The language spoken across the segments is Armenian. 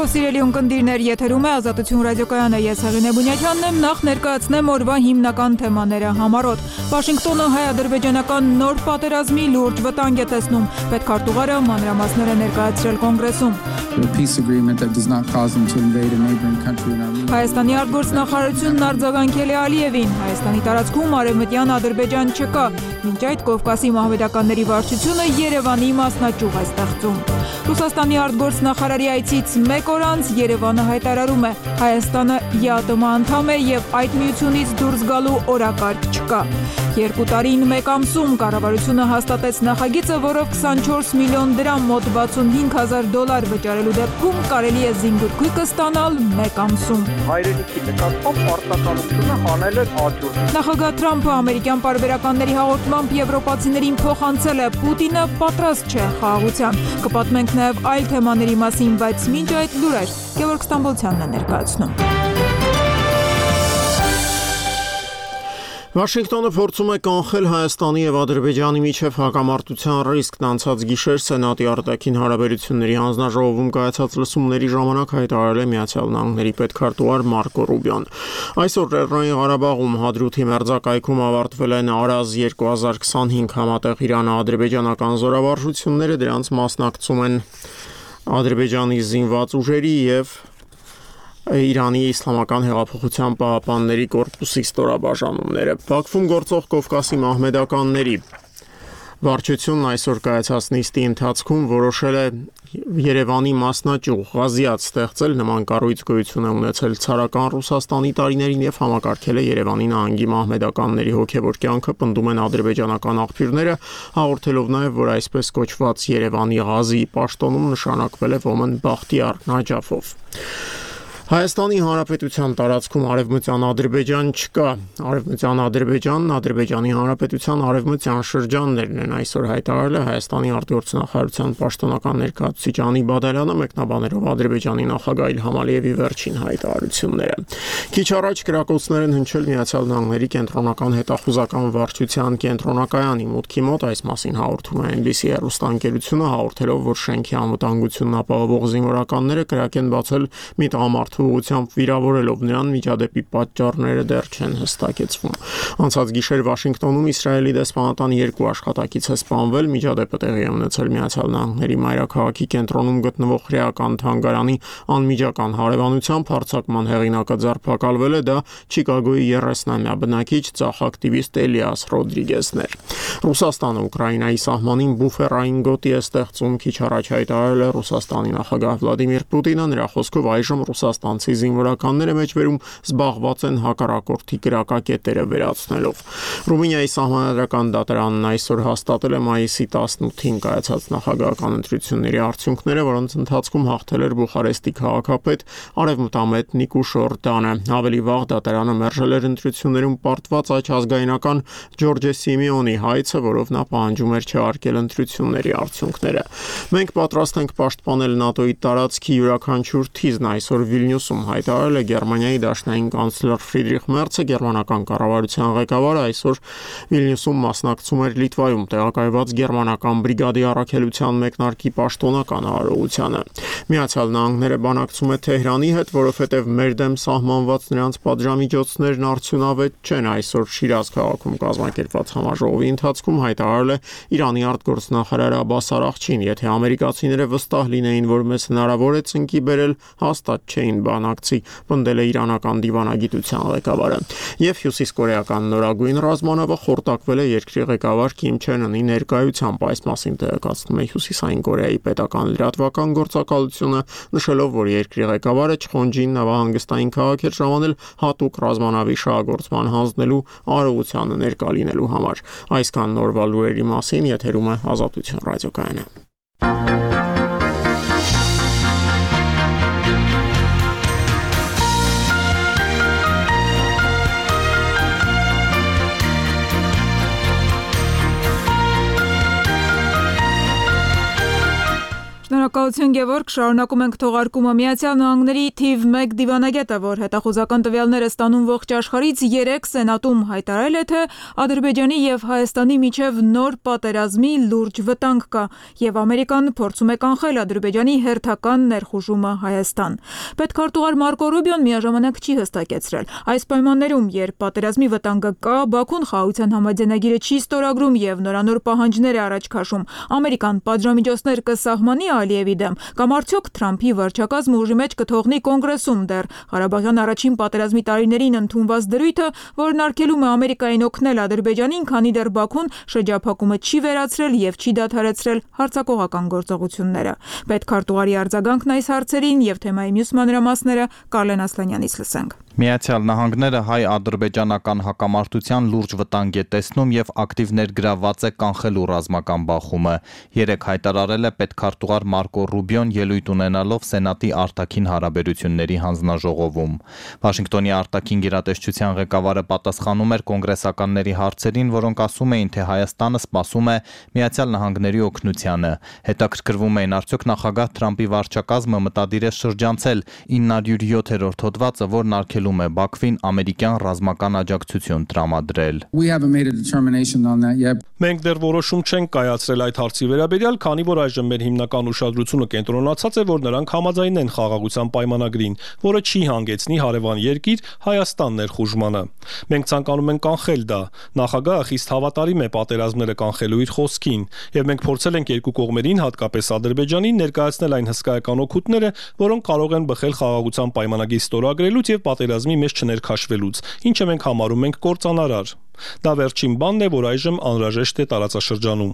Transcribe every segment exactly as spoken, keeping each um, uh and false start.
Բարև սիրելի ունկնդիրներ, եթերում է Ազատություն ռադիոկայանը, ես Հեղինե Բունյակյանն եմ, նախ ներկայացնեմ օրվա հիմնական թեմաները համառոտ։ Վաշինգտոնը հայ-ադրբեջանական նոր պատերազմի լուրջ վտանգ է տեսնում, պետքարտուղարը մանրամասներ է ներկայացրել կոնգրեսում։ Հայաստանի արտգործնախարարությունն արձագանքել է Ալիևին, Հայաստանի տարածքում արևմտյան Ադրբեջան չկա, մինչ այդ Կովկասի մահմեդականների վարչությունը Երևանի մասնաճյուղ է ստեղծում։ Ռուսաստանի արտգործնախարարի այցից մեկ օր անց Երևանը հայտարարում է, Հայաստանը ԵԱՏՄ անդամ է և այդ միությունից դուրս գալու օրակարգ չկա։ Երկու տարին մեկ ամսում կառավարությունը հաստատեց նախագիծը, որով քսանչորս միլիոն դրամ մոտ վաթսունհինգ հազար դոլար վճարելու դեպքում կարելի է զինգրգույկը ստանալ մեկ ամսում։ Հայրենիքի նկատմամբ պարտականությունը հանել է աճուրդ։ Նախագահ Թրամփը ամերիկյան պարբերականների հաղորդմամբ եվրոպացիներին փոխանցել է, Պուտինը պատրաստ չէ խաղաղության։ Կպատմենք նաև այլ թեմաների մասին, բայց մինչ այդ լուրեր Գևորգ Ստամբոլցյանն է ներկայացնում։ Վաշինգտոնը փորձում է կանխել Հայաստանի և Ադրբեջանի միջև հակամարտության ռիսկն անցած գիշեր Սենատի արտաքին հարաբերությունների հանձնաժողովում կայացած լսումների ժամանակ հայտարարել է Միացյալ Նահանգների պետքարտուղար Մարկո Ռուբիոն։ Այսօր Լեռնային Ղարաբաղում Հադրութի մերձակայքում ավարտվել են Արազ երկու հազար քսանհինգ համատեղ Իրано-ադրբեջանական զորավարժությունները, դրանց մասնակցում են Ադրբեջանի զինված ուժերի և Իրանի իսլամական հեղափոխության պահապանների կորպուսի ստորաբաժանումները։ Բաքվում գործող Կովկասի մահմեդականների վարչությունն այսօր կայացած նիստի ընթացքում որոշել է Երևանի մասնաճյուղ Ղազիաթ ստեղծել, նման կառույց գոյություն է ունեցել ցարական Ռուսաստանի տարիներին և համակարգել է Երևանի նահանգի մահմեդականների հոգևոր կյանքը, պնդում են ադրբեջանական աղբյուրները, հաղորդելով նաև, որ այսպես կոչված Երևանի Ղազիի պաշտոնում նշանակվել է Ոմն Բախտիար Նաջաֆով։ Հայաստանի Հանրապետության տարածքում արևմտյան Ադրբեջան չկա։ Արևմտյան Ադրբեջանն Ադրբեջանի Հանրապետության արևմտյան շրջաններն են, այսօր հայտարարել է Հայաստանի արտգործնախարարության պաշտոնական ներկայացուցիչ Անի Բադալյանը, մեկնաբանելով Ադրբեջանի նախագահ Իլհամ Ալիևի վերջին հայտարարությունները։ Քիչ առաջ կրակոցներ են հնչել Միացյալ Նահանգների կենտրոնական հետախուզական վարչության կենտրոնակայանի մուտքի մոտ, այս մասին հաղորդում է Էն Բի Սի հեռուստաընկերությունը, հաղորդելով, որ շենքի անվտանգությունն ապահովող զինվորականները կրակ են բացել մի տղամարդու ուղղությամբ վիրավորելով նրան, միջադեպի պատճառները դեռ չեն հստակեցվում։ Անցած գիշեր Վաշինգտոնում Իսրայելի դեսպանատան երկու աշխատակից է սպանվել, միջադեպը տեղի է ունեցել Միացյալ Նահանգների մայրաքաղաքի կենտրոնում գտնվող հրեական թանգարանի անմիջական հարևանությամբ, հարձակման հեղինակը ձերբակալվել է, դա Չիկագոյի երեսնամյա բնակիչ ծախ ակտիվիստ Էլիաս Ռոդրիգեսն էր։ Ռուսաստանը Ուկրաինայի սահմանին բուֆերային գոտի է ստեղծում, քիչ առաջ հայտարարել է Ռուսաստանի նախագահ Վլադիմիր Պուտինը, նրա խոսքով այժմ Ռուսաստանցի զինվորականները մեջբերում զբաղված են հակառակորդի կրակակետերը վերացնելով։ Ռումինիայի սահմանադրական դատարանն այսօր հաստատել է մայիսի տասնութին կայացած նախագահական ընտրությունների արդյունքները, որոնց ընթացքում հաղթել էր Բուխարեստի քաղաքապետ Արևմտամետ Նիկուշ Օրդանը։ Ավելի վաղ դատարանը մերժել էր ընտրություններում պարտված աջ ազգայնական Ջորջե Սիմեոնի հայցը, որով նա պահանջում էր չհարգել ընտրությունների արդյունքները։ Մենք պատրաստ ենք պաշտպանել ՆԱՏՕ-ի տարածքի յուրաքանչյուր թիզն, այսօր Վիլնյուսում հայտարարել է Գերմանիայի դաշնային կանցլեր Ֆրիդրիխ Մերցը, գերմանական կառավարության ղեկավարը այսօր Վիլնյուսում մասնակցում էր Լիտվայում տեղակայված գերմանական բրիգադի առաքելության մեկնարկի պաշտոնական արարողությանը։ Միացյալ Նահանգները բանակցում է Թեհրանի հետ, որովհետև մեր դեմ սահմանված նրանց պատժամիջոցներն արդյունավետ չեն, այսօր Շիրազ քաղաքում կազմակերպված համաժողովի ընթացքում հայտարարել է Իրանի արտգործնախարար Աբբաս Արաղչին, եթե ամերիկացիները վստահ լինեին, որ մեզ հնարավոր է ծնկի բերել, հաստատ չէին բանակցի, պնդել է իրանական դիվանագիտության ղեկավարը։ Եվ հյուսիսկորեական նորագույն ռազմանավը խորտակվել է երկրի ղեկավար Քիմ Չեն Ընի ներկայությամբ, այս մասին տեղեկացնում է Հյուսիսային Կորեայի պետական լրատվական գործակալությունը, նշելով, որ երկրի ղեկավարը Չխոնջին նավահանգստային քաղաք էր ժամանել հատուկ ռազմանավի շահագործման հանձնելու արարողությանը ներկա լինելու համար։ Այսքան նորվա լուրերի մասին, եթերում է Ազատություն ռադիոկայանը։ Շնորհակալություն Գևորգ, շարունակում ենք թողարկումը Միացյալ Նահանգների թիվ մեկ դիվանագետը, որ հետախուզական տվյալները ստանում ողջ աշխարհից, երեկ Սենատում հայտարարել է, թե Ադրբեջանի եւ Հայաստանի միջև նոր պատերազմի լուրջ վտանգ կա, եւ Ամերիկան փորձում է կանխել Ադրբեջանի հերթական ներխուժումը Հայաստան։ Պետքարտուղար Մարկո Ռուբիոն միաժամանակ չի հստակեցրել. այս պայմաններում, երբ պատերազմի վտանգը կա, Բաքուն խաղաղության համաձայնագիրը չի ստորագրում եւ նորանոր պահանջներ է առաջ քաշում, Ամերիկան պատժամիջոցներ կսահմանի Ալիևի դեմ, կամ արդյոք Թրամփի վարչակազմը ուժի մեջ կթողնի կոնգրեսում դեռ Ղարաբաղյան առաջին պատերազմի տարիներին ընդունված դրույթը, որն արգելում է Ամերիկային օգնել Ադրբեջանին, քանի դեռ Բաքուն շրջափակումը չի վերացրել եւ չի դադարեցրել հարձակողական գործողությունները։ Պետքարտուղարի արձագանքն այս հարցերին եւ թեմայի մյուս մանրամասները Կարլեն Ասլանյանից լսենք։ Միացյալ Նահանգները հայ-ադրբեջանական հակամարտության լուրջ վտանգ է տեսնում եւ ակտիվ ներգրավված է կանխելու ռազմական բախումը։ Երեկ հայտարարել է պետքարտուղար Մարկո Ռուբիոն ելույթ ունենալով Սենատի արտաքին հարաբերությունների հանձնաժողովում։ Վաշինգտոնի արտաքին գերատեսչության ղեկավարը պատասխանում էր կոնգրեսականների հարցերին, որոնք ասում էին, թե Հայաստանը սպասում է Միացյալ Նահանգների օգնությանը։ Հետաքրքրվում էին, արդյոք նախագահ Թրամփի վարչակազմը մտադիր է շրջանցել ինը հարյուր յոթերորդ հոդվածը, որն արգելում է Բաքվին ամերիկյան ռազմական աջակցություն տրամադրել։ Մենք դեռ որոշում չենք կայացրել այդ հարցի վերաբերյալ, քանի որ այժմ մեր հիմնական ուշադրությունը կենտրոնացած է, որ նրանք համաձայնեն խաղաղության պայմանագրին, որը չի հանգեցնի հարևան երկիր Հայաստան ներխուժմանը։ Մենք ցանկանում ենք կանխել դա։ Նախագահը խիստ հավատարիմ է պատերազմները կանխելու իր խոսքին, եւ մենք փորձել ենք երկու կողմերին, հատկապես Ադրբեջանին, ներկայացնել այն հսկայական օգուտները, որոնք կարող են բխել խաղաղության պայմանագրի ստորագրելուց եւ պատերազմի մեջ չներքաշվելուց, ինչը մենք համարում ենք կործանարար։ Դա վերջին բանն է, որ այժմ անհրաժեշտ է տարածաշրջանում։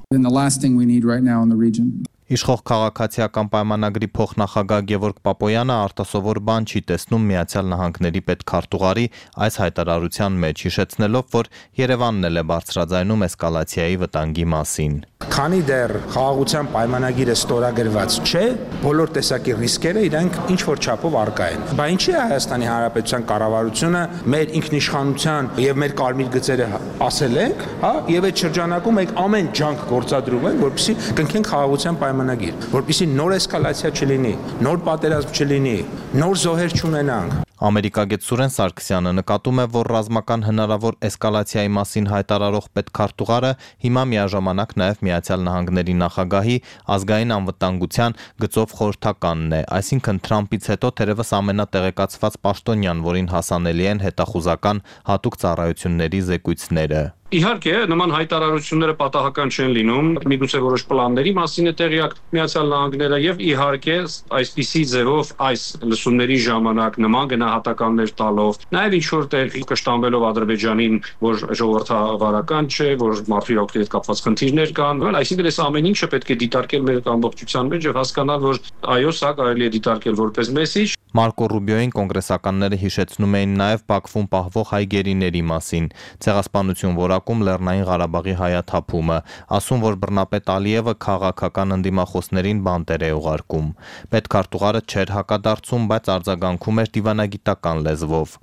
Իշխող քաղաքացիական պայմանագրի փոխնախագահ Գևորգ Պապոյանը արտասովոր բան չի տեսնում Միացյալ Նահանգների պետքարտուղարի այս հայտարարության մեջ, հիշեցնելով, որ Երևանն էլ է բարձրաձայնում էսկալացիայի վտանգի մասին։ Քանի դեռ խաղաղության պայմանագիրը ստորագրված չէ, բոլոր տեսակի ռիսկերը իրենք ինչ որ չափով առկա են։ Բա ինչի է Հայաստանի Հանրապետության կառավարությունը մեր ինքնիշխանության եւ մեր կարմիր գծերը ասել ենք, հա, եւ այդ շրջանակում մենք ամեն ջանք գործադրում ենք, որպեսզի կնքենք խաղաղության պայմանագիր, որպեսզի նոր էսկալացիա չլինի, նոր պատերազմ չլինի, նոր զոհեր չունենանք։ Ամերիկագետ Սուրեն Սարգսյանը նկատում է, որ ռազմական հնարավոր էսկալացիայի մասին հայտարարող պետքարտուղարը հիմա միաժամանակ նաև Միացյալ Նահանգների նախագահի ազգային անվտանգության գծով խորհրդականն է, այսինքն Թրամփից հետո թերևս ամենատեղեկացված պաշտոնյան, որին հասանելի են հետախուզական հատուկ ծառայությունների զեկույցները։ Իհարկե, նման հայտարարությունները պատահական չեն լինում, միգուցե որոշ պլանների մասին է տեղյակ Միացյալ Նահանգները եւ իհարկե այսպիսի ձևով այս լսումների ժամանակ նման գնահատականներ տալով, նաեւ ինչ որ տեղի կշտամբելով Ադրբեջանին, որ ժողովրդավարական չէ, որ մարդու իրավունքների հետ կապված խնդիրներ կան, այսինքն այս ամեն ինչը պետք է դիտարկել մեր ամբողջության մեջ եւ հասկանալ, որ այո, սա կարելի է դիտարկել որպես մեսիջ։ Մարկո Ռուբիոին կոնգրեսականները հիշեցնում էին նաև Բաքվում պահվող հայ գերիների մասին, ցեղասպանություն որակում Լեռնային Ղարաբաղի հայաթափումը, ասում, որ բռնապետ Ալիևը քաղաքական ընդդիմախոսներին բանտեր է ուղարկում։ Պետքարտուղարը չէր հակադարձում, բայց արձագանքում էր դիվանագիտական լեզվով։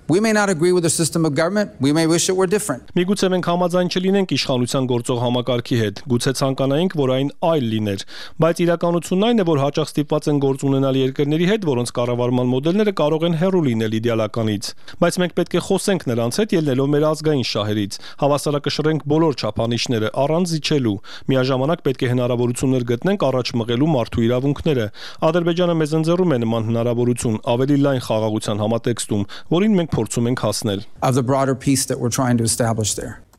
Միգուցե մենք համաձայն չլինենք իշխանության գործող համակարգի հետ, գուցե ցանկանայինք, որ այն այլ լիներ, բայց իրականությունն այն է, որ հաճախ ստիպված են գործ ունենալ երկրների հետ, որոնց կառավարման մոդելները կարող են հեռու լինել իդեալականից, բայց մենք պետք է խոսենք նրանց հետ ելնելով մեր ազգային շահերից, հավասարակշռենք բոլոր չափանիշները առանց զիջելու, միաժամանակ պետք է հնարավորություններ գտնենք առաջ մղելու մարդու իրավունքները։ Ադրբեջանը մեզ ընձեռում է նման հնարավորություն ավելի լայն խաղաղության համատեքստում, որին մենք փորձում ենք հասնել։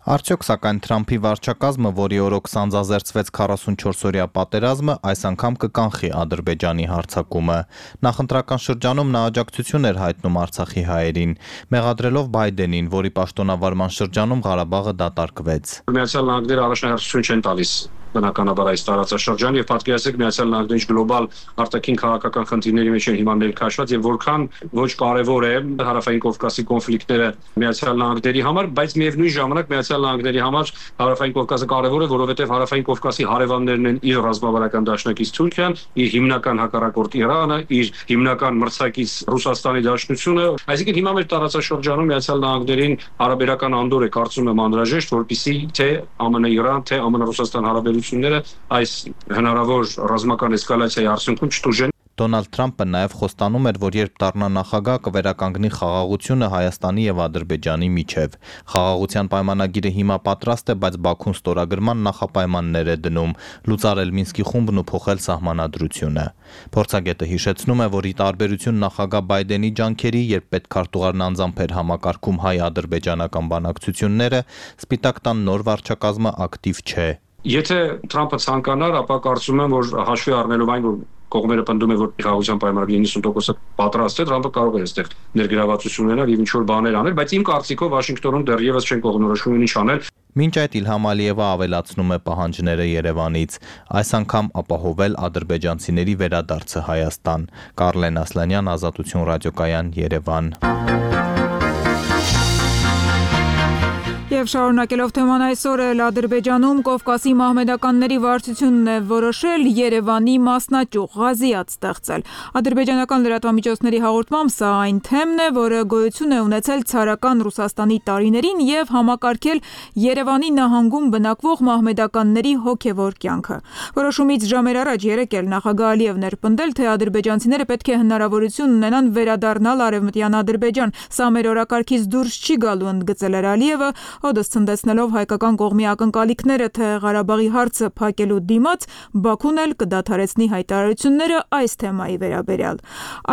Արդյոք սակայն Թրամփի վարչակազմը, որի օրոք սանձազերծվեց քառասունչորսօրյա պատերազմը, այս անգամ կկանխի Ադրբեջանի հարձակումը։ Նախընտրական շրջանում նա աջակցություն էր հայտնում Արցախի հայերին, մեղադրելով Բայդենին, որի պաշտոնավարման շրջանում Ղարաբաղը դատարկվեց։ Միացյալ Նահանգները առաջնահերթություն չեն տալիս բնականաբար այս տարածաշրջան եւ պատկերացրեք Միացյալ Նահանգների գլոբալ արտաքին քաղաքական խնդիրների մեջ են հիմա ներկայացված եւ որքան ոչ կարեւոր է հարավային Կովկասի կոնֆլիկտները Միացյալ Նահանգների համար, բայց միևնույն ժամանակ Միացյալ Նահանգների համար հարավային Կովկասը կարեւոր է, որովհետեւ հարավային Կովկասի հարևաններն են իր ռազմավարական դաշնակից Թուրքիան, իր հիմնական հակառակորդ Իրանը, իր հիմնական մրցակից Ռուսաստանի Դաշնությունը, այսինքն հիմա մեր տարածաշրջանում Միացյալ Նահանգներին հարաբերական անդոր է կարծում եմ անհրաժեշտ, որպեսզի թե ԱՄՆ-Իրան, թե ԱՄՆ-Ռուսաստան հարաբերությունները հարաբերությունները այս հնարավոր ռազմական էսկալացիայի արդյունքում չտուժեն։ Դոնալդ Թրամփը նաև խոստանում էր, որ երբ դառնա նախագահ կվերականգնի խաղաղությունը Հայաստանի եւ Ադրբեջանի միջև։ Խաղաղության պայմանագիրը հիմա պատրաստ է, բայց Բաքուն ստորագրման նախապայմաններ է դնում՝ լուծարել Մինսկի խումբն ու փոխել սահմանադրությունը։ Փորձագետը հիշեցնում է, որ ի տարբերություն նախագահ Բայդենի ջանքերի, երբ պետքարտուղարն անձամբ էր համակարգում հայ-ադրբեջանական բանակցությունները, Սպիտակ տան նոր վարչակազմը ակտիվ չէ։ Եթե Թրամփը ցանկանար, ապա կարծում եմ, որ հաշվի առնելով այն, որ կողմերը պնդում են, որ խաղաղության պայմանագրի իննսուն տոկոսը պատրաստ է, Թրամփը կարող է այստեղ ներգրավվածություն ունենալ եւ ինչ-որ բաներ անել, բայց իմ կարծիքով Վաշինգտոնում դեռևս չեն կողմնորոշվում ինչ անել։ Մինչ այդ Իլհամ Ալիևը ավելացնում է պահանջները Երևանից, այս անգամ ապահովել ադրբեջանցիների վերադարձը Հայաստան։ Կարլեն Ասլանյան, Ազատություն ռադիոկայան, Երևան։ Եվ շարունակելով թեման այսօր էլ Ադրբեջանում Կովկասի մահմեդականների վարչությունն է որոշել Երևանի մասնաճյուղ Ղազիաթ ստեղծել։ Ադրբեջանական լրատվամիջոցների հաղորդմամբ սա այն թեմն է, որը գոյություն է ունեցել ցարական Ռուսաստանի տարիներին եւ համակարգել Երևանի նահանգում բնակվող մահմեդականների հոգեվոր կյանքը։ Որոշումից ժամեր առաջ երեկ էլ նախագահ Ալիևն էր պնդել, թե ադրբեջանցիները պետք է հնարավորություն ունենան վերադառնալ Արևմտյան Ադրբեջան։ Սա մեր օրակարգից դուրս չի գալու, ընդգծել էր Ալիևը, օդս ցնդեցնելով հայկական կողմի ակնկալիքները, թե Ղարաբաղի հարցը փակելու դիմաց Բաքուն էլ կդադարեցնի հայտարարությունները այս թեմայի վերաբերյալ։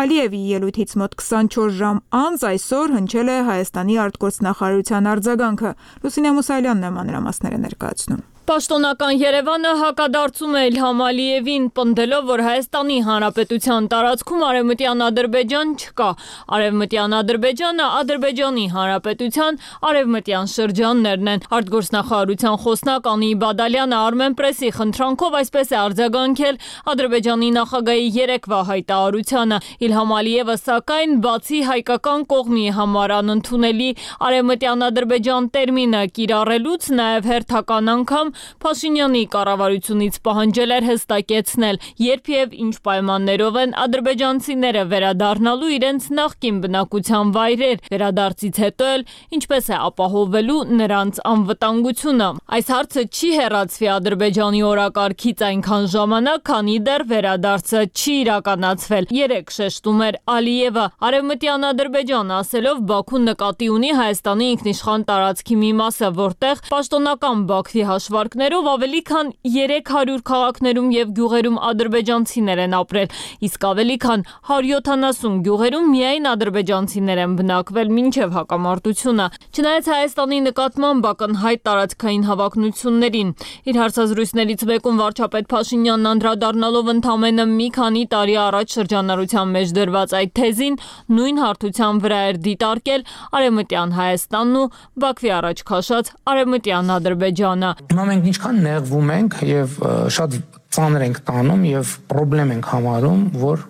Ալիևի ելույթից մոտ քսանչորս ժամ անց այսօր հնչել է Հայաստանի արտգործնախարարության արձագանքը։ Լուսինե Մուսայելյանն է մանրամասները ներկայացնում։ Պաշտոնական Երևանը հակադարձում է Իլհամ Ալիևին, պնդելով, որ Հայաստանի Հանրապետության տարածքում Արևմտյան Ադրբեջան չկա։ Արևմտյան Ադրբեջանը Ադրբեջանի Հանրապետության արևմտյան շրջաններն են։ Արտգործնախարարության խոսնակ Անի Բադալյանը Armenpress-ի խնդրանքով այսպես է արձագանքել Ադրբեջանի նախագահի երեկվա հայտարարությանը։ Իլհամ Ալիևը սակայն բացի հայկական կողմի համար անընդունելի Արևմտյան Ադրբեջան տերմինը կիրառելուց նաև հերթական անգամ Փաշինյանի կառավարությունից պահանջել էր հստակեցնել, երբ եւ ինչ պայմաններով են ադրբեջանցիները վերադառնալու իրենց նախկին բնակության վայրեր, վերադարձից հետո էլ ինչպես է ապահովելու նրանց անվտանգությունը։ Այս հարցը չի հեռացվի Ադրբեջանի օրակարգից այնքան ժամանակ, քանի դեռ վերադարձը չի իրականացվել։ Երեք շեշտում էր Ալիևը, Արևմտյան Ադրբեջան ասելով Բաքուն նկատի ունի Հայաստանի ինքնիշխան տարածքի մի մասը, որտեղ պաշտոնական Բաքվի հաշվարկներով ավելի քան երեք հարյուր քաղաքներում եւ գյուղերում ադրբեջանցիներ են ապրել, իսկ ավելի քան հարյուր յոթանասուն գյուղերում միայն ադրբեջանցիներ են բնակվել մինչեւ հակամարտությունը։ Չնայած Հայաստանի նկատմամբ ակնհայտ տարածքային հավակնություններին, իր հարցազրույցներից մեկում վարչապետ Փաշինյանն անդրադառնալով ընդամենը մի քանի տարի առաջ շրջանառության մեջ դրված այդ թեզին նույն հարթության վրա էր դիտարկել Արևմտյան Հայաստանն ու Բաքվի առաջ քաշած Արևմտյան Ադրբեջանը։ Հիմա մենք ինչքան նեղվում ենք եւ շատ ծանր ենք տանում եւ խնդրեմ ենք համարում, որ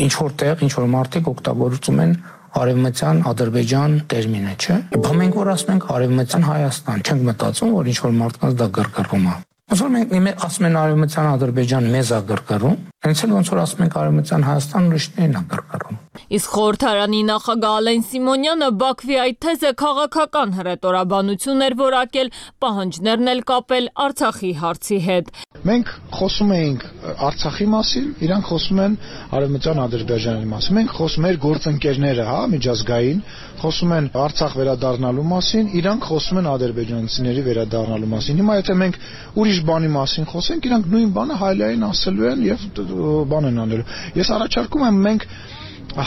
ինչ որտեղ ինչ որ մարդիկ օգտագործում են Արևմտյան Ադրբեջան տերմինը, չէ՞։ Բա մենք որ ասում ենք Արևմտյան Հայաստան, չենք մտածում, որ ինչ որ մարդկանց դա գրգռում է։ Ոնց որ մենք ասում են Արևմտյան Ադրբեջան մեզ է գրգռում, հենց էլ ոնց որ ասում ենք Արևմտյան Հայաստան ուրիշներին է գրգռում։ Իսկ խորհրդարանի նախագահ Ալեն Սիմոնյանը Բաքվի այդ թեզը քաղաքական հռետորաբանություն էր որակել, պահանջներն էլ կապել Արցախի հարցի հետ։ Մենք խոսում էինք Արցախի մասին, իրանք խոսում են Արևմտյան Ադրբեջանի մասին։ Մենք խոսում ենք գործընկերները, հա, միջազգային, խոսում են Արցախ վերադառնալու մասին, իրանք խոսում են ադրբեջանցիների վերադառնալու մասին։ Հիմա եթե մենք ուրիշ բանի մասին խոսենք, իրանք նույն բանը հայլային ասելու են եւ բան են անելու։ Ես առաջարկում եմ մենք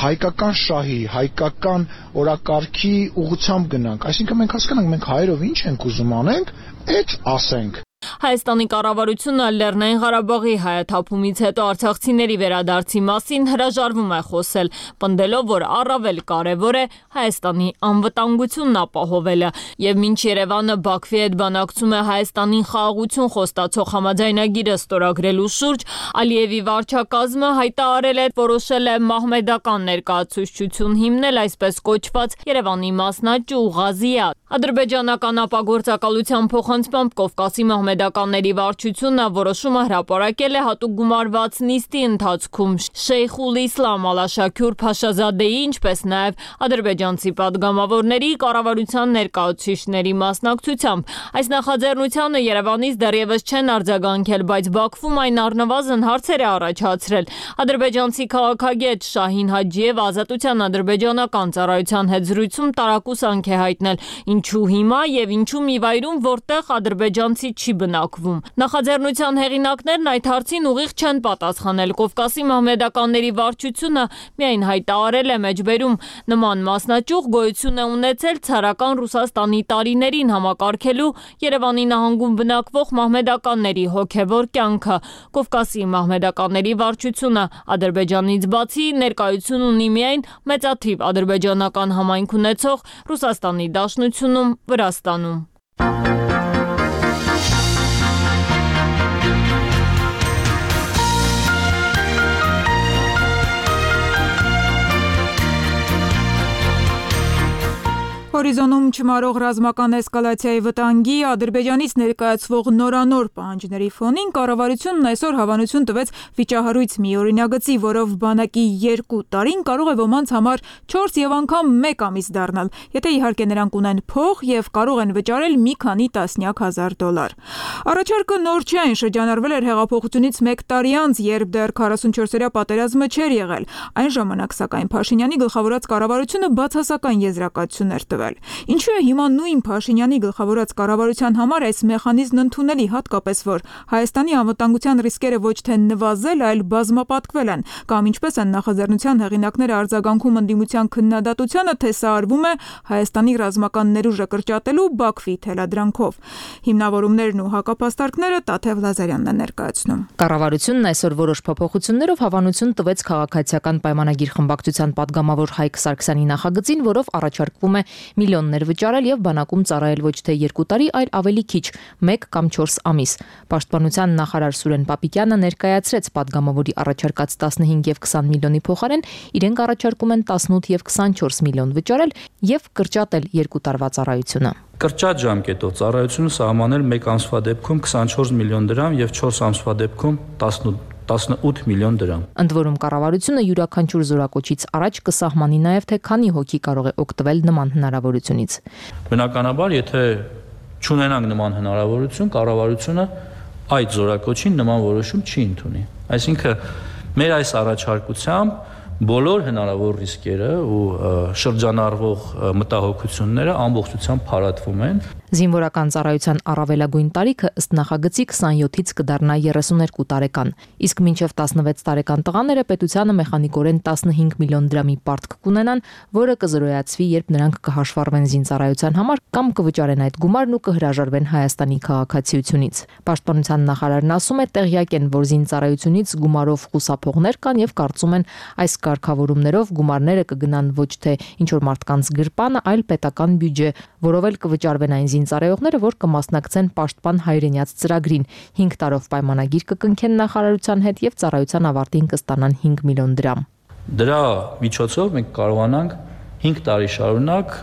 հայկական շահի, հայկական օրակարգի ուղղությամբ գնանք, այսինքն մենք հասկանանք մենք հայերով ինչ ենք ուզում անենք, այդ ասենք։ Հայաստանի կառավարությունը Լեռնային Ղարաբաղի հայաթափումից հետո արցախցիների վերադարձի մասին հրաժարվում է խոսել, պնդելով, որ առավել կարևոր է Հայաստանի անվտանգությունն ապահովելը, եւ մինչ Երևանը Բաքվի հետ բանակցում է Հայաստանին խաղաղություն խոստացող համաձայնագիրը ստորագրելու շուրջ, Ալիևի վարչակազմը հայտարարել է, որոշել է մահմեդական ներկայացուցչություն հիմնել այսպես կոչված Երևանի մասնաճյուղ Ղազիաթ։ Ադրբեջանական ապագործակալության փոխանցմամբ Կովկասի մահմեդականների վարչությունը որոշումը հրապարակել է հատուկ գումարված նիստի ընթացքում Շեյխուլ Իսլամ Ալաշաքյուր Փաշազադեի, ինչպես նաև ադրբեջանցի падգամավորների կառավարության ներկայացուցիչների մասնակցությամբ։ Այս նախաձեռնությանը Երևանից դեռևս չեն արձագանքել, բայց Բաքվում այն առնվազն հարցեր է առաջացրել։ Ադրբեջանցի քաղաքագետ Շահին Հաջիևը Ազատության ադրբեջանական ծառայության հետ զրույցում տարակուսանք է հայտնել, ինչու հիմա եւ ինչու մի վայրում, որտեղ ադրբեջանցի չի բնակվում։ Նախաձեռնության հեղինակներն այդ հարցին ուղիղ չեն պատասխանել։ Կովկասի մահմեդականների վարչությունը միայն հայտարարել է մեջբերում նման մասնաճյուղ գոյություն է ունեցել ցարական Ռուսաստանի տարիներին համակարգելու Երևանի նահանգում բնակվող մահմեդականների հոգևոր կյանքը։ Կովկասի մահմեդականների վարչությունը Ադրբեջանից բացի ներկայություն ունի միայն մեծաթիվ ադրբեջանական համայնք ունեցող Ռուսաստանի Դաշնությունում, Վրաստանում։ Հորիզոնում չմարող ռազմական էսկալացիայի վտանգի Ադրբեջանից ներկայացվող նորանոր պահանջների ֆոնին կառավարությունն այսօր հավանություն տվեց վիճահարույց մի օրինագծի, որով բանակի երկու տարին կարող է ոմանց համար չորս եւ անգամ մեկ ամիս դառնալ, եթե իհարկե նրանք ունեն փող եւ կարող են վճարել մի քանի տասնյակ հազար դոլար։ Առաջարկը նոր չէ, այն շրջանառվել էր հեղափոխությունից մեկ տարի անց, երբ դեռ քառասունչորսերյա պատերազմը չէր եղել։ Այն ժամանակ սակայն Փաշինյանի գլխավորած կառավարությունը բացասական եզրակացություն էր տվել։ Ինչու է հիմա նույն Փաշինյանի գլխավորած կառավարության համար այս մեխանիզմն ընդունելի, հատկապես որ Հայաստանի անվտանգության ռիսկերը ոչ թե նվազել, այլ բազմապատկվել են, կամ ինչպես են նախաձեռնության հեղինակները արձագանքում ընդդիմության քննադատությանը, թե սա արվում է Հայաստանի ռազմական ներուժը կրճատելու Բաքվի թելադրանքով։ Հիմնավորումներն ու հակապաստարկները Տաթև Լազարյանն է ներկայացնում։ Կառավարությունն այսօր որոշ փոփոխություններով հավանություն տվեց քաղաքացիական պայմանագիր խմբակցության падգամավոր Հայկ Սարգսյանի նախագծին, որով առաջարկվում է միլիոններ վճարել եւ բանակում ծառայել ոչ թե երկու տարի, այլ ավելի քիչ, մեկ կամ չորս ամիս։ Պաշտպանության նախարար Սուրեն Պապիկյանը ներկայացրեց падգամավորի առաջարկած տասնհինգ եւ քսան միլիոնի փոխարեն իրենք առաջարկում են տասնութ եւ քսանչորս միլիոն վճարել եւ կրճատել երկու տարվա ծառայությունը։ Կրճատ ժամկետով ծառայությունը սահմանել մեկ ամսվա դեպքում քսանչորս միլիոն դրամ եւ չորս ամսվա դեպքում տասնութ միլիոն դրամ։ Ընդ որում կառավարությունը յուրաքանչյուր զորակոչից առաջ կսահմանի նաև թե քանի հոգի կարող է օգտվել նման հնարավորությունից։ Բնականաբար, եթե չունենանք նման հնարավորություն, կառավարությունը այդ զորակոչին նման որոշում չի ընդունի։ Այսինքն մեր այս առաջարկությամբ բոլոր հնարավոր ռիսկերը ու շրջանառվող մտահոգությունները ամբողջությամբ փարատվում են։ Զինվորական ծառայության առավելագույն տարիքը ըստ նախագծի քսանյոթից կդառնա երեսուներկու տարեկան, իսկ մինչև տասնվեց տարեկան տղաները պետությանը մեխանիկորեն տասնհինգ միլիոն դրամի պարտք կունենան, որը կզրոյացվի, երբ նրանք կհաշվառվեն զինծառայության համար կամ կվճարեն այդ գումարն ու կհրաժարվեն Հայաստանի քաղաքացիությունից։ Պաշտպանության նախարարն ասում է, տեղյակ են, որ զինծառայությունից գումարով խուսափողներ կան եւ կարծում են, այս կարգավորումներով գումարները կգնան ոչ թե ինչ-որ մարդկանց գրպանը, այլ պետական բյուջե, որով էլ կվճարվեն այն զինծառայողները, որ կմասնակցեն պաշտպան հայրենյաց ծրագրին, հինգ տարով պայմանագիր կկնքեն նախարարության հետ եւ ծառայության ավարտին կստանան հինգ միլիոն դրամ։ Դրա միջոցով մենք կարողանանք հինգ տարի շարունակ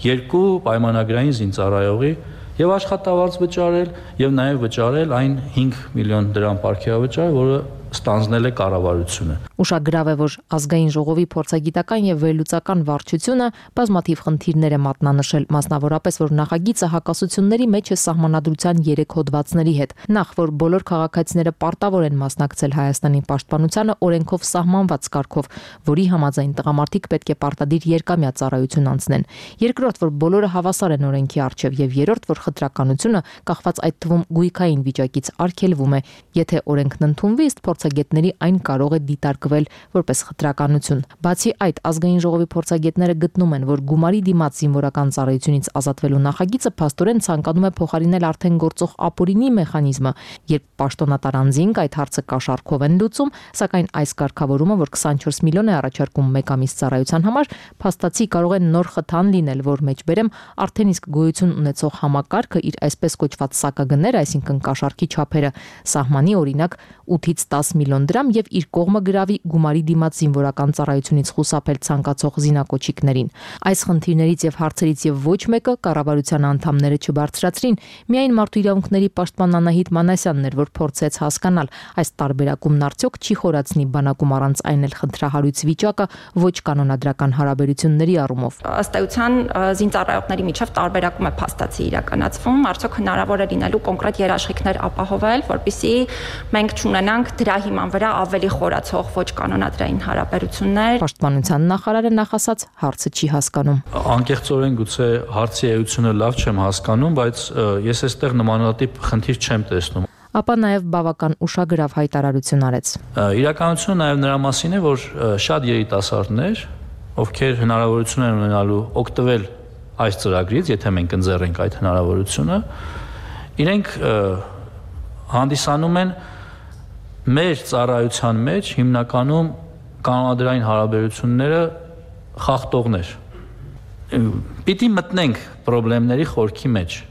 երկու պայմանագրային զինծառայողի եւ աշխատավարձ վճարել եւ նաեւ վճարել այն հինգ միլիոն դրամ պարգևավճար, որը ստանձնել է կառավարությունը։ Ուշագրավ է, որ ազգային ժողովի փորձագիտական եւ վերլուծական վարչությունը բազմաթիվ խնդիրներ է մատնանշել, մասնավորապես որ նախագիծը հակասությունների մեջ է սահմանադրության երեք հոդվածների հետ։ Նախ, որ բոլոր քաղաքացիները պարտավոր են մասնակցել Հայաստանի պաշտպանությանը օրենքով սահմանված կարգով, որի համաձայն տղամարդիկ պետք է պարտադիր երկամյա ծառայություն անցնեն։ Երկրորդ, որ բոլորը հավասար են օրենքի առջև, եւ երրորդ, որ խտրականությունը կախված այդ թվում գույքային վիճակից արգելվում է, եթե օրենքն ընդունվի, ըստ փորձագետների այն կարող է դիտարկվել որպես խտրականություն։ Բացի այդ, ազգային ժողովի փորձագետները գտնում են, որ գումարի դիմաց զինվորական ծառայությունից ազատվելու նախագիծը փաստորեն ցանկանում է փոխարինել արդեն գործող ապօրինի մեխանիզմը, երբ պաշտոնատար անձինք այդ հարցը կաշառքով են լուծում, սակայն այս կարգավորումը, որ քսանչորս միլիոն է առաջարկում մեկ ամիս ծառայության համար, փաստացի կարող է նոր խթան լինել, որ մեջբերեմ արդեն իսկ գոյություն ունեցող համակարգը իր այսպես կոչված սակագները, այսինքն կաշառքի չափերը, սահմանի օրինակ ութից տաս միլիոն դրամ եւ իր կողմը գրավի գումարի դիմաց զինվորական ծառայությունից խուսափել ցանկացող զինակոչիկներին։ Այս խնդիրներից եւ հարցերից եւ ոչ մեկը կառավարության անդամները չբարձրացրին, միայն Մարդու իրավունքների պաշտպան Անահիտ Մանասյանն էր, որ փորձեց հասկանալ այս տարբերակումն արդյոք չի խորացնի բանակում առանց այն էլ խնդրահարույց վիճակը ոչ կանոնադրական հարաբերությունների առումով։ Ըստ էության զինծառայողների միջև տարբերակում է փաստացի իրականացվում, արդյոք հնարավոր է լինելու կոնկրետ երաշխիքներ ապահովել, որպեսզի մենք չունենանք դրա հիման վրա ավելի խորացող ոչ կանոնադրային հարաբերություններ։ Պաշտպանության նախարարը նախասած հարցը չի հասկանում։ Անկեղծորեն գուցե հարցի էությունը լավ չեմ հասկանում, բայց ես այստեղ նմանատիպ խնդիր չեմ տեսնում։ Ապա նաև բավական ուշագրավ հայտարարություն արեց։ Իրականությունը նաև նրա մասին է, որ շատ երիտասարդներ, ովքեր հնարավորություն են ունենալու օգտվել այս ծրագրից, եթե մենք ընձեռենք այդ հնարավորությունը, իրենք հանդիսանում են մեր ծառայության մեջ հիմնականում կանոնադրային հարաբերությունները խախտողներ։ Պիտի մտնենք խնդիրների խորքի մեջ։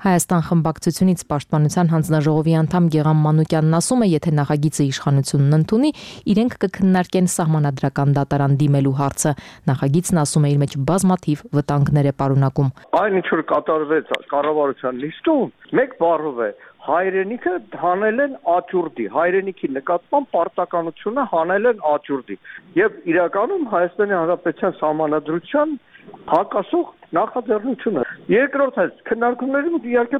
Հայաստան խմբակցությունից Պաշտպանության հանձնաժողովի անդամ Գեգամ Մանուկյանն ասում է, եթե նախագիծը իշխանությունն ընդունի, իրենք կքննարկեն սահմանադրական դատարան դիմելու հարցը։ Նախագիծն ասում է իր մեջ բազմաթիվ վտանգներ է պարունակում։ Այն ինչ որ կատարվեց կառավարության նիստում, մեկ բառով է հայրենիքը հանել են աճուրդի, հայրենիքի նկատմամբ պարտականությունը հանել են աճուրդի։ Եվ իրականում Հայաստանի Հանրապետության սահմանադրության հակասող նախաձեռնությունը։ Երկրորդ է քննարկումների ու իհարկե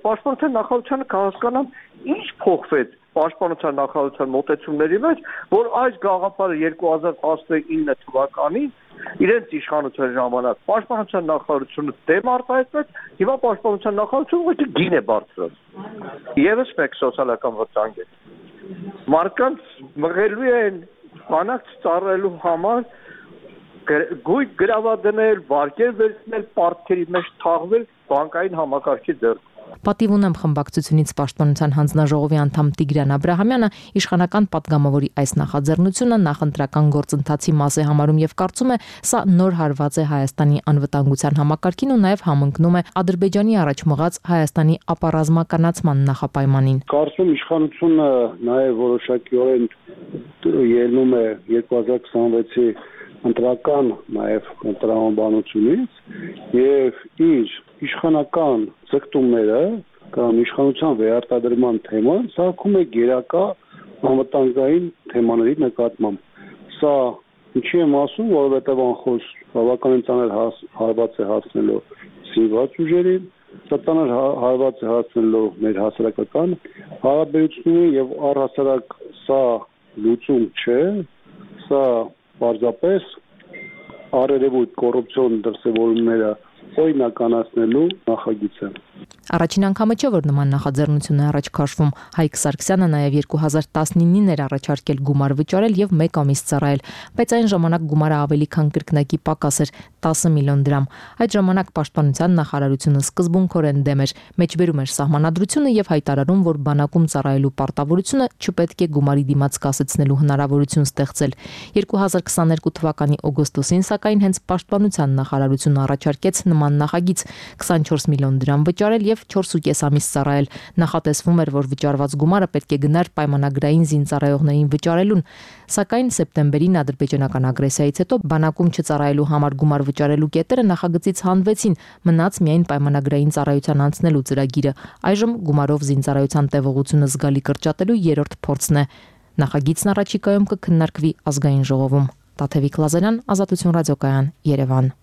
պաշտպանության նախարարությունը կհասկանան ինչ փոխվեց պաշտպանության նախարարության մոտեցումների մեջ, որ այս գաղափարը երկու հազար տասնինը թվականին իրենց իշխանության ժամանակ պաշտպանության նախարարությունը դեմ արտահայտվեց, հիմա պաշտպանության նախարարությունը ուղղակի գին է բարձրացրել։ Եվս մեկ սոցիալական վտանգ է։ Մարդկանց մղելու են բանակ ծառայելու համար գույք գրավադնել, վարկեր վերցնել, պարտքերի մեջ թաղվել բանկային համակարգի ձեռքում։ Պատիվ ունեմ խմբակցությունից Պաշտպանության հանձնաժողովի անդամ Տիգրան Աբրահամյանը իշխանական պատգամավորի այս նախաձեռնությունը նախընտրական գործընթացի մաս է համարում եւ կարծում է, սա նոր հարված է Հայաստանի անվտանգության համակարգին ու նաեւ համընկնում է Ադրբեջանի առաջ մղած Հայաստանի ապառազմականացման նախապայմանին։ Կարծում իշխանությունը նաեւ որոշակիորեն ելնում է երկու հազար քսանվեցի ընտրական նաև տրամաբանությունից եւ իր իշխանական ձգտումները կամ իշխանության վերարտադրման թեման սարքում է գերակա անվտանգային թեմաների նկատմամբ։ Սա ինչի եմ ասում, որովհետեւ անխոս բավականին ծանր հարված է հասնելու զինված ուժերին, սա ծանր հարված է հասնելու մեր հասարակական հարաբերություններին եւ առհասարակ սա լուծում չէ, սա պարզապես արերևույթ կոռուպցիոն դրսևորումները օրինականացնելու նախագիծ է։ Առաջին անգամը չէ, որ նման նախաձեռնություն է առաջ քաշվում։ Հայկ Սարգսյանը նաև երկու հազար տասնինին էր առաջարկել գումար վճարել եւ մեկ ամիս ծառայել, բայց այն ժամանակ գումարը ավելի քան կրկնակի պակաս էր՝ տասը միլիոն դրամ։ Այդ ժամանակ Պաշտպանության նախարարությունը սկզբունքորեն դեմ էր, մեջբերում էր սահմանադրությունը եւ հայտարարում, որ բանակում ծառայելու պարտավորությունը չպետք է գումարի դիմաց կասեցնելու հնարավորություն ստեղծել։ երկու հազար քսաներկու թվականի օգոստոսին սակայն հենց Պաշտպանության նախարարությունը առաջարկեց նման նախագիծ՝ քսանչորս միլիոն դրամ վճարել եւ չորսուկես ամիս ծառայել։ Նախատեսվում էր, որ վճարված գումարը պետք է գնար պայմանագրային զինծառայողներին վճարելուն, սակայն սեպտեմբերին ադրբեջանական ագրեսիայից հետո բանակում չծառայելու համար գումար վճարելու կետերը նախագծից հանվեցին, մնաց միայն պայմանագրային ծառայության անցնելու ծրագիրը։ Այժմ գումարով զինծառայության տևողությունը զգալի կրճատելու երրորդ փորձն է։ Նախագիծն առաջիկայում կքննարկվի ազգային ժողովում։ Տաթևիկ Լազարյան, Ազատություն ռադիոկայան, Երևան։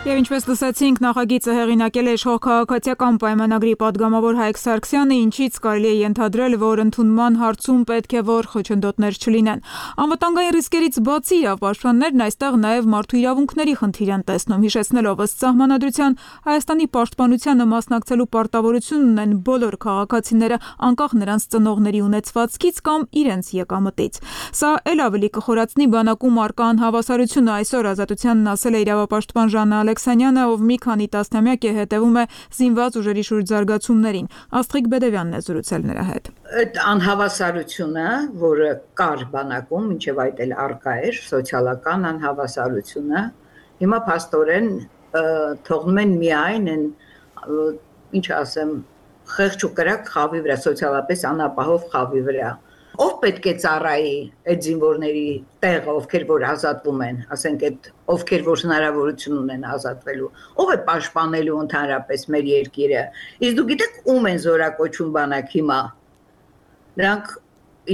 Եվ ինչպես լսեցինք, նախագիծը հեղինակել է իշխող քաղաքացիական պայմանագրի падգամավոր Հայկ Սարգսյանը, ինչից կարելի է ենթադրել, որ ընդունման հարցում պետք է որ խոչընդոտներ չլինեն։ Անվտանգային ռիսկերից բացի պաշտպաններն այստեղ նաև մարդու իրավունքների խնդիր են տեսնում, հիշեցնելով ըստ սահմանադրության Հայաստանի պաշտպանությանը մասնակցելու պարտավորություն ունեն բոլոր քաղաքացիները, անկախ նրանց ծնողների ունեցվածքից կամ իրենց եկամտից։ Սա ել ավելի կխորացնի բանակում առկա անհավասարությունը, այսօր Ազատությանն ասել է իրավապաշտպան Ժաննա Ալեքսանյանը, ով մի քանի տասնամյակ է հետևում է զինված ուժերի շուրջ զարգացումներին։ Աստղիկ Բեդևյանն է զրուցել նրա հետ։ Այդ անհավասարությունը, որը կար բանակում, մինչև այդ էլ առկա էր, սոցիալական անհավասարությունը, հիմա փաստորեն թողնում են միայն են ինչ ասեմ, խեղճ ու կրակ խավի վրա, սոցիալապես անապահով խավի վրա։ Ով պետք է ծառայի այդ զինվորների տեղը, ովքեր որ ազատվում են, ասենք այդ ովքեր որ հնարավորություն ունեն ազատվելու, ով է պաշտպանելու ընդհանրապես մեր երկիրը։ Իսկ դու գիտեք ում են զորակոչում բանակ հիմա։ Նրանք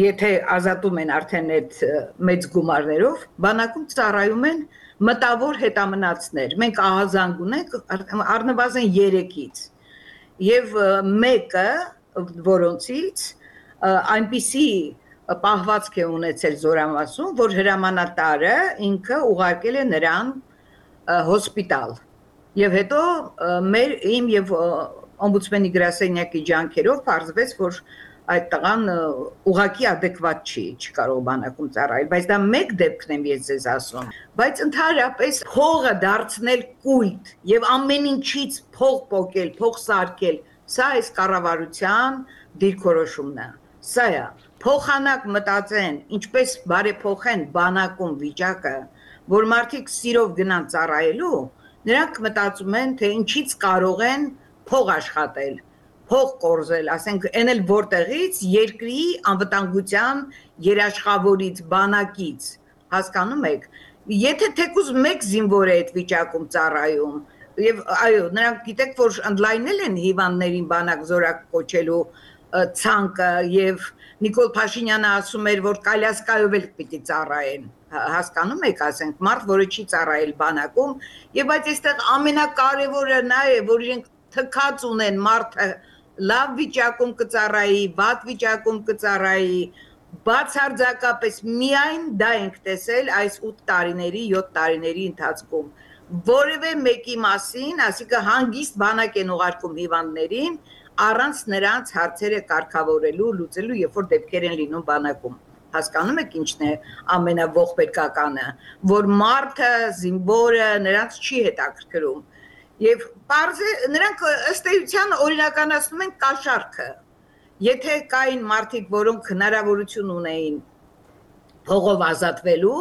եթե ազատում են արդեն այդ մեծ գումարներով, բանակում ծառայում են մտավոր հետամնացներ։ Մենք ահազանգ ունենք առնվազն երեքից։ Եվ մեկը, որոնցից այնպիսի պահվածք է ունեցել զորամասում, որ հրամանատարը ինքը ուղարկել է նրան հոսպիտալ։ Եվ հետո մեր իմ եւ օմբուդսմենի գրասենյակի ջանքերով պարզվեց, որ այդ տղան ուղղակի adekvat չի, չի կարող բանակում ծառայել, բայց դա մեկ դեպքն եմ ես ձեզ ասում։ Բայց ընդհանրապես փողը դարձնել կուլտ եւ ամեն ինչից փող պոկել, փող սարքել, սա այս կառավարության դիրքորոշումն է։ Սա է, փոխանակ մտածեն, ինչպես բարեփոխեն բանակում վիճակը, որ մարդիկ սիրով գնան ծառայելու, նրանք մտածում են, թե ինչից կարող են փող աշխատել, փող կորզել, ասենք, այն էլ որտեղից երկրի անվտանգության երաշխավորից, բանակից, հասկանում եք, եթե թեկուզ մեկ զինվոր է այդ վիճակում ծառայում, եւ այո, նրանք գիտեք, որ ընդլայնել են հիվանդներին բանակ զորակ կոչելու ցանկը եւ Նիկոլ Փաշինյանը ասում էր, որ կալյասկայով էլ պիտի ծառայեն, հասկանում եք, ասենք, մարդ, որը չի ծառայել բանակում, եւ բայց այստեղ ամենակարևորը նա է, որ իրենք թքած ունեն մարդը լավ վիճակում կծառայի, վատ վիճակում կծառայի, բացարձակապես միայն դա ենք տեսել այս ութ տարիների, յոթ տարիների ընթացքում, որևէ մեկի մասին, ասիկա հանգիստ բանակ են ուղարկում հիվանդներին, առանց նրանց հարցերը կարգավորելու, լուծելու, երբ որ դեպքեր են լինում բանակում։ Հասկանում եք ինչն է ամենաողբերգականը, որ մարդը, զինվորը նրանց չի հետաքրքրում։ Եվ պարզ է, նրանք ըստ էության օրինականացնում են կաշառքը։ Եթե կային մարդիկ, որոնք հնարավորություն ունեին փողով ազատվելու,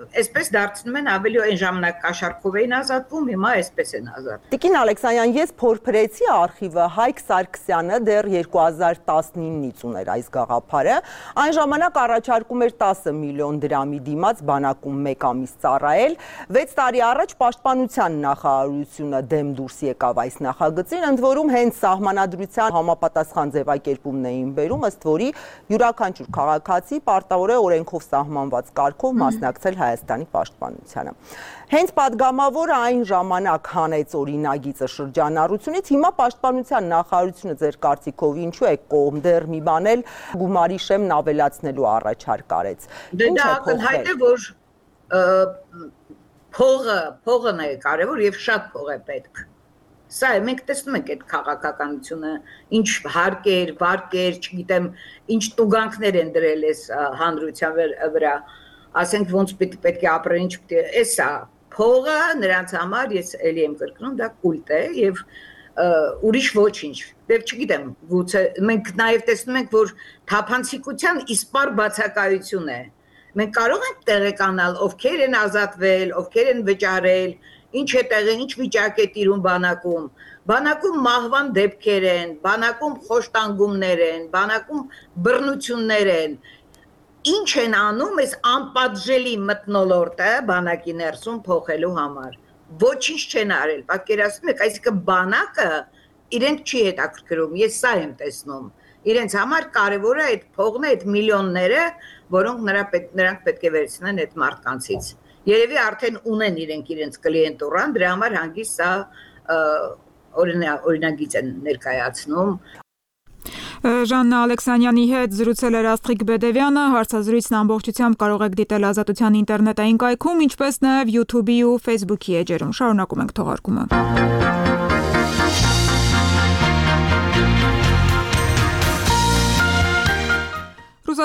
այսպես դարձնում են ավելի այն ժամանակ կաշառքով էին ազատվում, հիմա այսպես են ազատվում։ Տիկին Ալեքսանյան, ես փորփրեցի արխիվը, Հայկ Սարգսյանը դեռ երկու հազար տասնինից ուներ այս գաղափարը, այն ժամանակ առաջարկում էր տասը միլիոն դրամի դիմաց բանակում մեկ ամիս ծառայել, վեց տարի առաջ պաշտպանության նախարարությունը դեմ դուրս եկավ այս նախագծին, ընդ որում հենց սահմանադրության համապատասխան ձևակերպումն էին բերում, ըստ որի յուրաքանչյուր քաղաքացի պարտավոր է օրենքով սահմանված կարգով մասնակցել Հայաստանի պաշտպանությանը։ Հենց падգամավորը այն ժամանակ հանեց օրինագիծը շրջանառությունից, հիմա պաշտպանության նախարարությունը ձեր կարծիքով ինչու է կողմ դեռ մի բան էլ գումարի շեմն ավելացնելու առաջարկ արեց։ Դե դա ակնհայտ է, որ փողը, փողն է կարևոր եւ շատ փող է պետք։ Սա է, մենք տեսնում ենք այդ քաղաքականությունը, ինչ հարկեր, վարկեր, չգիտեմ, ինչ տուգանքներ են դրել այս հանրության վրա, ասենք ոնց պետք է ապրեն, ինչ պետք է, էս է, փողը նրանց համար, ես էլի եմ կրկնում, դա կուլտ է եւ ուրիշ ոչինչ։ Դեռ չգիտեմ, գուցե մենք նաեւ տեսնում ենք, որ թափանցիկության իսպար բացակայություն է։ Մենք կարող ենք տեղեկանալ, ովքեր են ազատվել, ովքեր են վճարել, ինչ է տեղը, ինչ վիճակ է տիրում բանակում, բանակում մահվան դեպքեր են, բանակում խոշտանգումներ են, բանակում բռնություններ են, ինչ են անում այս անպատժելի մթնոլորտը բանակի ներսում փոխելու համար, ոչինչ չեն արել, պատկերացնում եք, այսինքն բանակը իրենք չի հետաքրքրում, ես սա եմ տեսնում, իրենց համար կարևոր է այդ փողն է, այդ միլիոնները, որոնք նրանք պետք է վերցնեն այդ մարդկանցից։ Երևի արդեն ունեն իրենք իրենց կլիենտուրան, դրա համար հանգիստ սա օրինագիծ են ներկայացնում։ Ժաննա Ալեքսանյանի հետ զրուցել էր Աստղիկ Բեդևյանը, հարցազրույցն ամբողջությամբ կարող եք դիտել Ազատության ինտերնետային կայքում, ինչպես նաև YouTube-ի ու Facebook-ի էջերում։ Շարունակում ենք թողարկումը։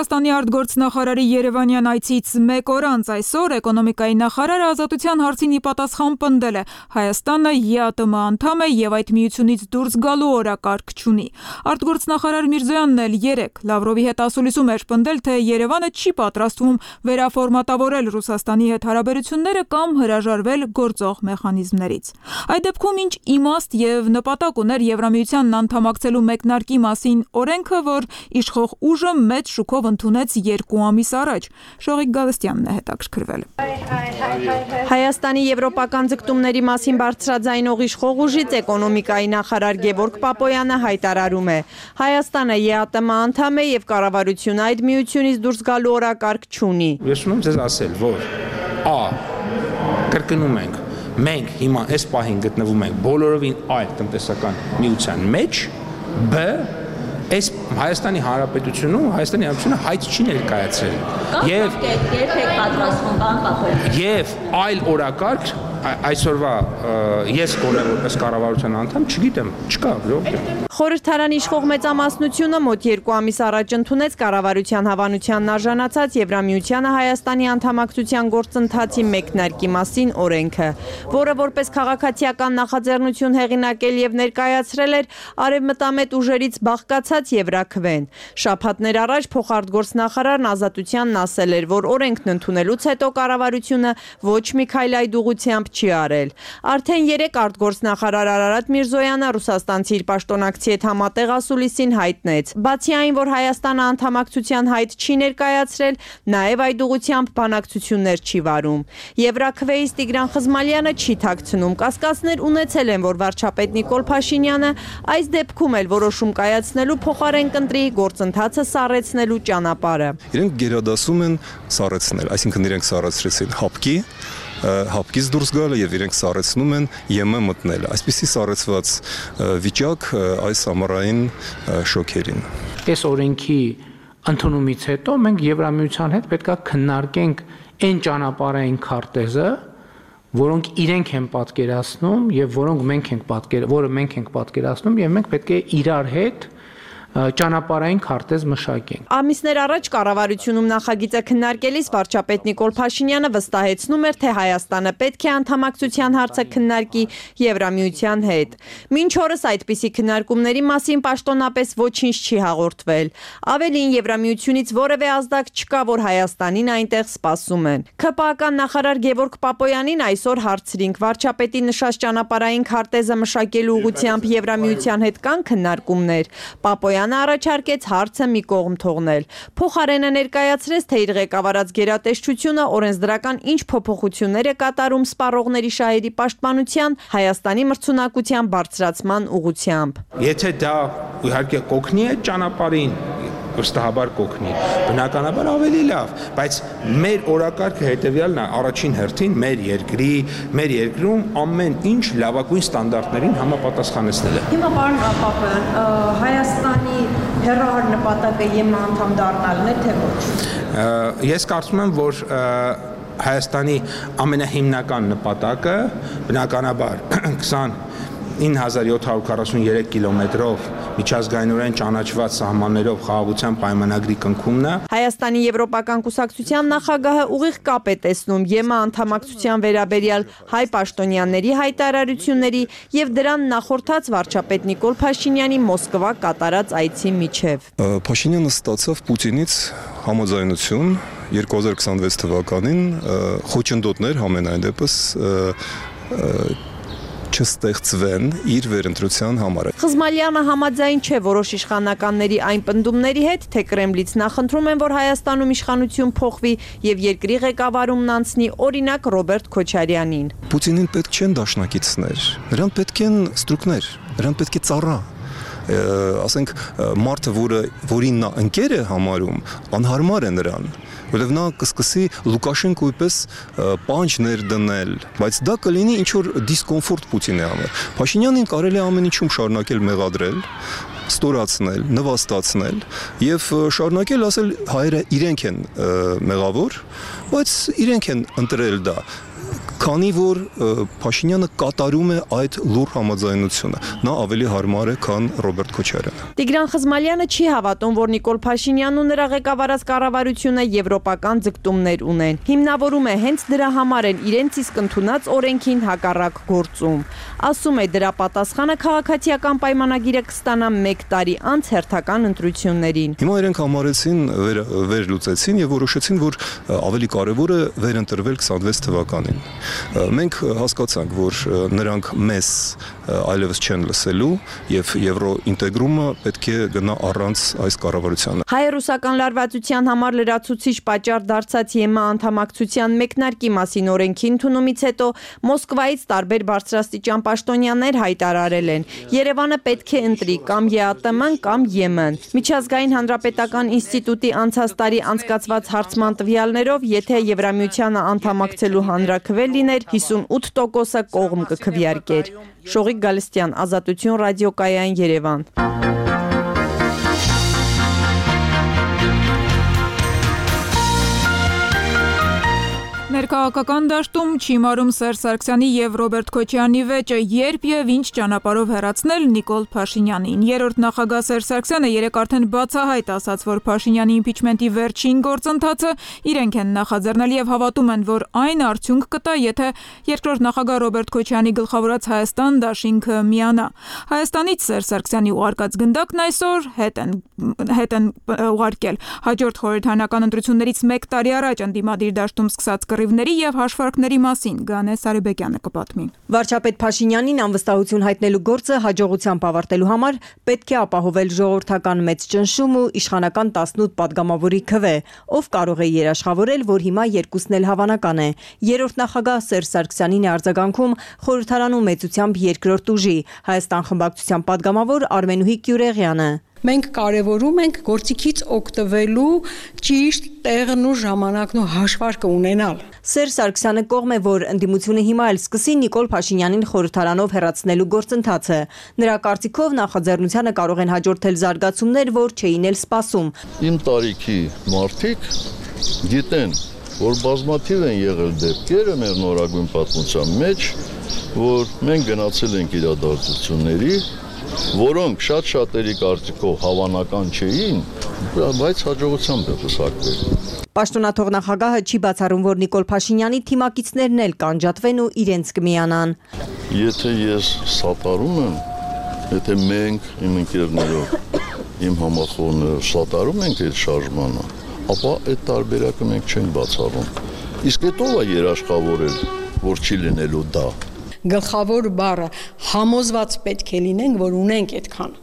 Ռուսաստանի արտգործնախարարի Երևանյան այցից մեկ օր անց այսօր էկոնոմիկայի նախարարը Ազատության հարցին ի պատասխան պնդել է Հայաստանը ԵԱՏՄ անդամ է եւ այդ միությունից դուրս գալու օրակարգ չունի։ Արտգործնախարար Միրզոյանն էլ երեկ Լավրովի հետ ասուլիսում էր պնդել, թե Երևանը չի պատրաստվում վերաֆորմատավորել Ռուսաստանի հետ հարաբերությունները կամ հրաժարվել գործող մեխանիզմներից։ Այդ դեպքում ինչ իմաստ եւ նպատակ ուներ Եվրամիությանն անդամակցելու մեկնարկի մասին օրենքը, որ իշխող ուժը մեծ շուկով ընդունեց երկու ամիս առաջ։ Շողիկ Գալստյանն է հետաքրքրվել։ Հայաստանի եվրոպական ձգտումների մասին բարձրաձայնող իշխող ուժից էկոնոմիկայի նախարար Գևորգ Պապոյանը հայտարարում է. Հայաստանը ԵԱՏՄ անդամ է եւ կառավարությունը այդ միությունից դուրս գալու օրակարգ չունի։ Ես ուզում եմ ձեզ ասել, որ Ա. Կրկնում ենք, մենք հիմա այս պահին գտնվում ենք բոլորովին այլ տնտեսական միության մեջ, Բ. Այս Հայաստանի Հանրապետությունում Հայաստանի Հանրապետությունը հայտ չի ներկայացրել։ Եվ երբեք պատրաստվում բան կապել։ Եվ այլ օրակարգ այսօրվա ես կոնե որպես կառավարության անդամ չգիտեմ, չկա, ոչ։ Խորհրդարանի իշխող մեծամասնությունը մոտ երկու ամիս առաջ ընդունեց կառավարության հավանությանն արժանացած Եվրամիությանը Հայաստանի անդամակցության գործընթացի մեկնարկի մասին օրենքը, որը որպես քաղաքացիական նախաձեռնություն հեղինակել եւ ներկայացրել էր արևմտամետ ուժերից բաղկացած Եվրաքվեն։ Շաբաթներ առաջ փոխարտգործնախարարն Ազատությանն ասել էր, որ օրենքն ընդունելուց հետո կառավարությունը ոչ մի քայլ այդ ուղղությամբ չի արել։ Արդեն երեք արտգործնախարար Արարատ Միրզոյանը ռուսաստանցի իր պաշտոնակցի հետ համատեղ ասուլիսին հայտնեց։ Բացի այն, որ Հայաստանը անդամակցության հայտ չի ներկայացրել, նաև այդ ուղղությամբ բանակցություններ չի վարում։ Եվրաքվեից Տիգրան Խզմալյանը չի թաքցնում, կասկածներ ունեցել են, որ վարչապետ Նիկոլ Փաշինյանը այս դեպքում էլ որոշում կայացնելու փոխարեն կընտրի գործընթացը սառեցնելու ճանապարհը։ Իրենք գերադասում են սառեցնել, այսինքն իրենք սառեցրեցին հապկի հապկից դուրս գալը եւ իրենք սառեցնում են ԵՄ մտնել։ Այսպիսի սառեցված վիճակ այս ամառային շոկերին։ Այս օրենքի ընդունումից հետո մենք Եվրամիության հետ պետք է քննարկենք այն ճանապարհային քարտեզը, որոնք իրենք են պատկերացնում եւ որոնք մենք ենք պատկեր, որը մենք ենք պատկերացնում եւ մենք պետք է իրար հետ ճանապարհային քարտեզ մշակենք։ Ամիսներ առաջ կառավարությունում նախագիծը քննարկելիս վարչապետ Նիկոլ Փաշինյանը վստահեցնում էր, թե Հայաստանը պետք է անդամակցության հարցը քննարկի Եվրամիության հետ։ Մինչ օրս այդպիսի քննարկումների մասին պաշտոնապես ոչինչ չի հաղորդվել։ Ավելին, Եվրամիությունից որևէ ազդակ չկա, որ Հայաստանին այնտեղ սպասում են։ ՔՊԱ-ական նախարար Գևորգ Պապոյանին այսօր հարցրինք, վարչապետի նշած ճանապարհային քարտեզը մշակելու ուղղությամբ Եվրամիության հետ կան քննարկումներ։ Պապոյանը առաջարկեց հարցը մի կողմ թողնել։ Փոխարենը ներկայացրեց, թե իր ղեկավարած գերատեսչությունը օրենսդրական ինչ փոփոխություններ է կատարում սպառողների շահերի պաշտպանության Հայաստանի մրցունակության բարձրացման ուղղությամբ։ Եթե դա իհարկե կօգնի այդ ճանապարհին, վստահաբար կօգնի, բնականաբար ավելի լավ, բայց մեր օրակարգը հետևյալն է, առաջին հերթին մեր երկրի, մեր երկրում ամեն ինչ լավագույն ստանդարտներին համապատասխանեցնել է։ Հիմա պարոն Պապոյան, Հայաստանի հերահար նպատակը ԵՄ անդամ դառնալն է, թե ոչ։ Ես կարծում եմ, որ Հայաստանի ամենահիմնական նպատակը բնականաբար քսանինը հազար յոթ հարյուր քառասուններեք կիլոմետրով միջազգայինորեն ճանաչված սահմաններով խաղաղության պայմանագրի կնքումն է։ Հայաստանի Եվրոպական կուսակցության նախագահը ուղիղ կապ է տեսնում ԵՄ անդամակցության վերաբերյալ հայ պաշտոնյաների հայտարարությունների եւ դրան նախորդած վարչապետ Նիկոլ Փաշինյանի Մոսկվա կատարած այցի միջև։ Փաշինյանը ստացավ Պուտինից համաձայնություն երկու հազար քսանվեց թվականին խոչընդոտներ համենայն դեպս չստեղծվեն իր վերընտրության համար։ Խզմալյանը համաձայն չէ որոշ իշխանականների այն պնդումների հետ, թե Կրեմլից նախընտրում են, որ Հայաստանում իշխանություն փոխվի եւ երկրի ղեկավարումն անցնի օրինակ Ռոբերտ Քոչարյանին։ Պուտինին պետք չեն դաշնակիցներ, նրան պետք են ստրուկներ, նրան պետք է ծառա։ Ասենք մարդը, որը որին նա ընկեր է համարում, անհարմար է նրան, որովհետև նա կսկսի Լուկաշենկոյի պես պանջ ներդնել, բայց դա կլինի ինչ-որ դիսկոմֆորտ Պուտինի համար։ Փաշինյանին կարելի է ամեն ինչում շարունակել մեղադրել, ստորացնել, նվաստացնել եւ շարունակել ասել հայերը իրենք են մեղավոր, բայց իրենք են ընտրել դա։ քանի որ Փաշինյանը կատարում է այդ լուր համաձայնությունը։ Նա ավելի հարմար է, քան Ռոբերտ Քոչարյանը։ Տիգրան Խզմալյանը չի հավատում, որ Նիկոլ Փաշինյանն ու նրա ղեկավարած կառավարությունը եվրոպական ձգտումներ ունեն։ Հիմնավորում է հենց դրա համար են իրենց իսկ ընդունած օրենքին հակառակ գործում։ Ասում է, դրա պատասխանը քաղաքացիական պայմանագիրը կստանա մեկ տարի անց հերթական ընտրություններին։ Հիմա իրենք համարեցին, վեր, վերլուծեցին եւ որոշեցին, որ ավելի կարեւոր է վերընտրվել քսանվեց թվականին։ Մենք հասկացանք, որ նրանք մեզ այլևս չեն լսելու եւ եվրոինտեգրումը պետք է գնա առանց այս կառավարությանը։ Հայ-ռուսական լարվածության համար լրացուցիչ պատճառ դարձած ԵՄ անդամակցության մեկնարկի մասին օրենքի ընդունումից հետո Մոսկվայից տարբեր բարձրաստիճան պաշտոնյաներ հայտարարել են. Երևանը պետք է ընտրի կամ ԵԱՏՄ-ն կամ ԵՄ-ն։ Միջազգային հանրապետական ինստիտուտի անցած տարի անցկացված հարցման տվյալներով, եթե Եվրամիությանը անդամակցելու հանրաքվե լիներ, հիսունութ տոկոսը կողմ կքվեարկեր։ Շողիկ Գալստյան, Ազատություն, ռադիոկայան, Երևան։ Ներքաղաքական դաշտում չի մարում Սերժ Սարգսյանի եւ Ռոբերտ Քոչարյանի վեճը, երբ եւ ինչ ճանապարհով հեռացնել Նիկոլ Փաշինյանին։ Երրորդ նախագահ Սերժ Սարգսյանը երեկ արդեն բացահայտ ասաց, որ Փաշինյանի իմպիչմենտի վերջին գործընթացը իրենք են նախաձեռնել եւ հավատում են, որ այն արդյունք կտա, եթե երկրորդ նախագահ Ռոբերտ Քոչարյանի գլխավորած Հայաստան դաշինքը միանա։ Հայաստանից Սերժ Սարգսյանի ուղարկած գնդակն այսօր հետ են հետ են ուղարկել։ Հաջորդ խորհրդարանական ընտրություններից մեկ տարի առաջ ընդդիմադիր դաշտում սկսած կռիվների եւ հաշվարկների մասին Գանե Սարիբեկյանը կպատմի։ Վարչապետ Փաշինյանին անվստահություն հայտնելու գործը հաջողությամբ ավարտելու համար պետք է ապահովել ժողովրդական մեծ ճնշում ու իշխանական տասնութ падգամավորի քվե, ով կարող է երաշխավորել, որ հիմա երկուսն էլ հավանական է։ Երրորդ նախագահ Սերժ Սարգսյանին է արձագանքում խորհրդարանում մեծությամբ երկրորդ ուժի Հայաստան խմբակցության падգամավոր Արմենուհի Կյուրեղյանը։ Մենք կարևորում ենք գործիքից օգտվելու ճիշտ տեղն ու ժամանակն ու հաշվարկը ունենալ։ Սերժ Սարգսյանը կողմ է, որ ընդդիմությունը հիմա էլ սկսի Նիկոլ Փաշինյանին խորհրդարանով հեռացնելու գործընթացը։ Նրա կարծիքով նախաձեռնությանը կարող են հաջորդել զարգացումներ, որ չէին էլ սպասում։ Իմ տարիքի մարդիկ գիտեն, որ բազմաթիվ են եղել դեպքերը մեր նորագույն պատմության մեջ, որ մենք գնացել ենք իրադարձությունների, որոնք շատ-շատերի կարծիքով հավանական չէին, բայց հաջողությամբ է փսակվել։ Պաշտոնաթող նախագահը չի բացառում, որ Նիկոլ Փաշինյանի թիմակիցներն էլ կանջատվեն ու իրենց կմիանան։ Եթե ես սատարում եմ, եթե մենք իմ ընկերներով, իմ համախոհները սատարում ենք այդ շարժմանը, ապա այդ տարբերակը մենք չենք բացառում։ Իսկ այդ ով է երաշխավորել, որ չի լինելու դա։ Գլխավոր բառը համոզված պետք է լինենք, որ ունենք այդքան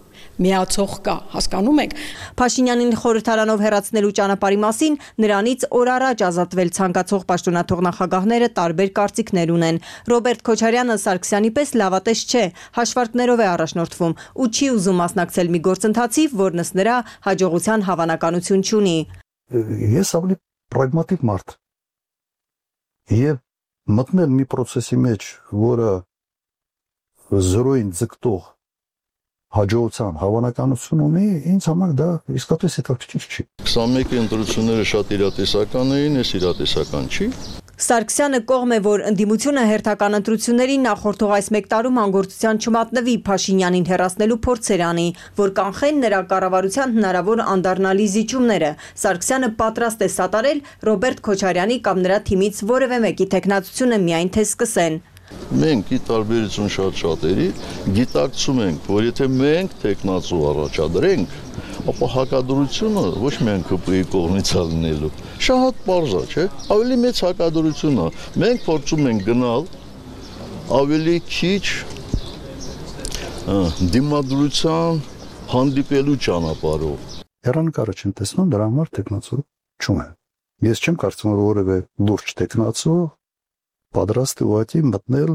միացող կա, հասկանում եք։ Փաշինյանին խորհրդարանով հեռացնելու ճանապարհի մասին նրանից օր առաջ ազատվել ցանկացող պաշտոնաթող նախագահները տարբեր կարծիքներ ունեն։ Ռոբերտ Քոչարյանը Սարգսյանի պես լավատես չէ, հաշվարկներով է առաջնորդվում ու չի ուզում մասնակցել մի գործընթացի, որն ըստ նրա հաջողության հավանականություն չունի։ Ես ավելի պրագմատիկ մարդ եւ մտնել մի process-ի մեջ, որը զրոյին ձգտող հաջողության հավանականություն ունի, ինձ համար դա իսկապես հետաքրքիր չի։ քսանմեկի ընտրությունները շատ իրատեսական էին, այս իրատեսական չի։ Սարգսյանը կողմ է, որ ընդդիմությունը հերթական ընտրություններին նախորդող այս մեկ տարում անգործության չմատնվի Փաշինյանին հեռացնելու փորձեր անի, որ կանխեն նրա կառավարության հնարավոր անդառնալի զիջումները։ Սարգսյանը պատրաստ է սատարել Ռոբերտ Քոչարյանի կամ նրա թիմից որևէ մեկի թեկնածությունը միայն թե սկսեն։ Մենք ի տարբերություն շատ շատերի գիտակցում ենք, որ եթե մենք տեխնացու առաջադրենք, ապա հակադրությունը ոչ միայն ԿՊ-ի կողմից է լինելու։ Շատ պարզ է, չէ՞։ Ավելի մեծ հակադրությունը մենք փորձում ենք գնալ ավելի քիչ դիմադրության հանդիպելու ճանապարհով։ Հեռանկարը չեն տեսնում, դրա համար տեխնացու չունեն։ Ես չեմ կարծում, որ որևէ լուրջ տեխնացու պատրաստ է ուղղակի մտնել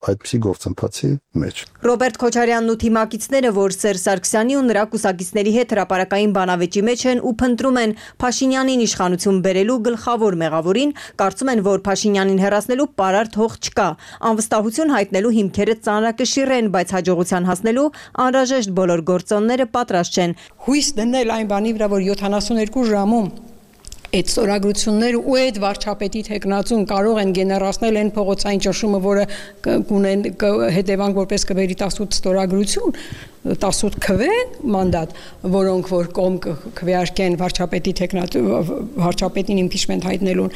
այդպիսի գործընթացի մեջ։ Ռոբերտ Քոչարյանն ու թիմակիցները, որ Սերժ Սարգսյանի ու նրա կուսակիցների հետ հրապարակային բանավեճի մեջ են ու փնտրում են Փաշինյանին իշխանություն բերելու գլխավոր մեղավորին, կարծում են, որ Փաշինյանին հեռացնելու պարարտ հող չկա։ Անվստահություն հայտնելու հիմքերը ծանրակշիռ են, բայց հաջողության հասնելու անհրաժեշտ բոլոր գործոնները պատրաստ չեն։ Հույս դնել այն բանի վրա, որ յոթանասունյոթ ժամում այդ ստորագրությունները ու այդ վարչապետի տեխնացուն կարող են գեներացնել այն փողոցային ճնշումը, որը կունեն հետևանք որպես կբերի տասնութ ստորագրություն, տասնութ քվե մանդատ, որոնք որ կողմ քվեարկեն վարչապետի տեխնացու վարչապետին իմպիչմենտ հայտնելուն,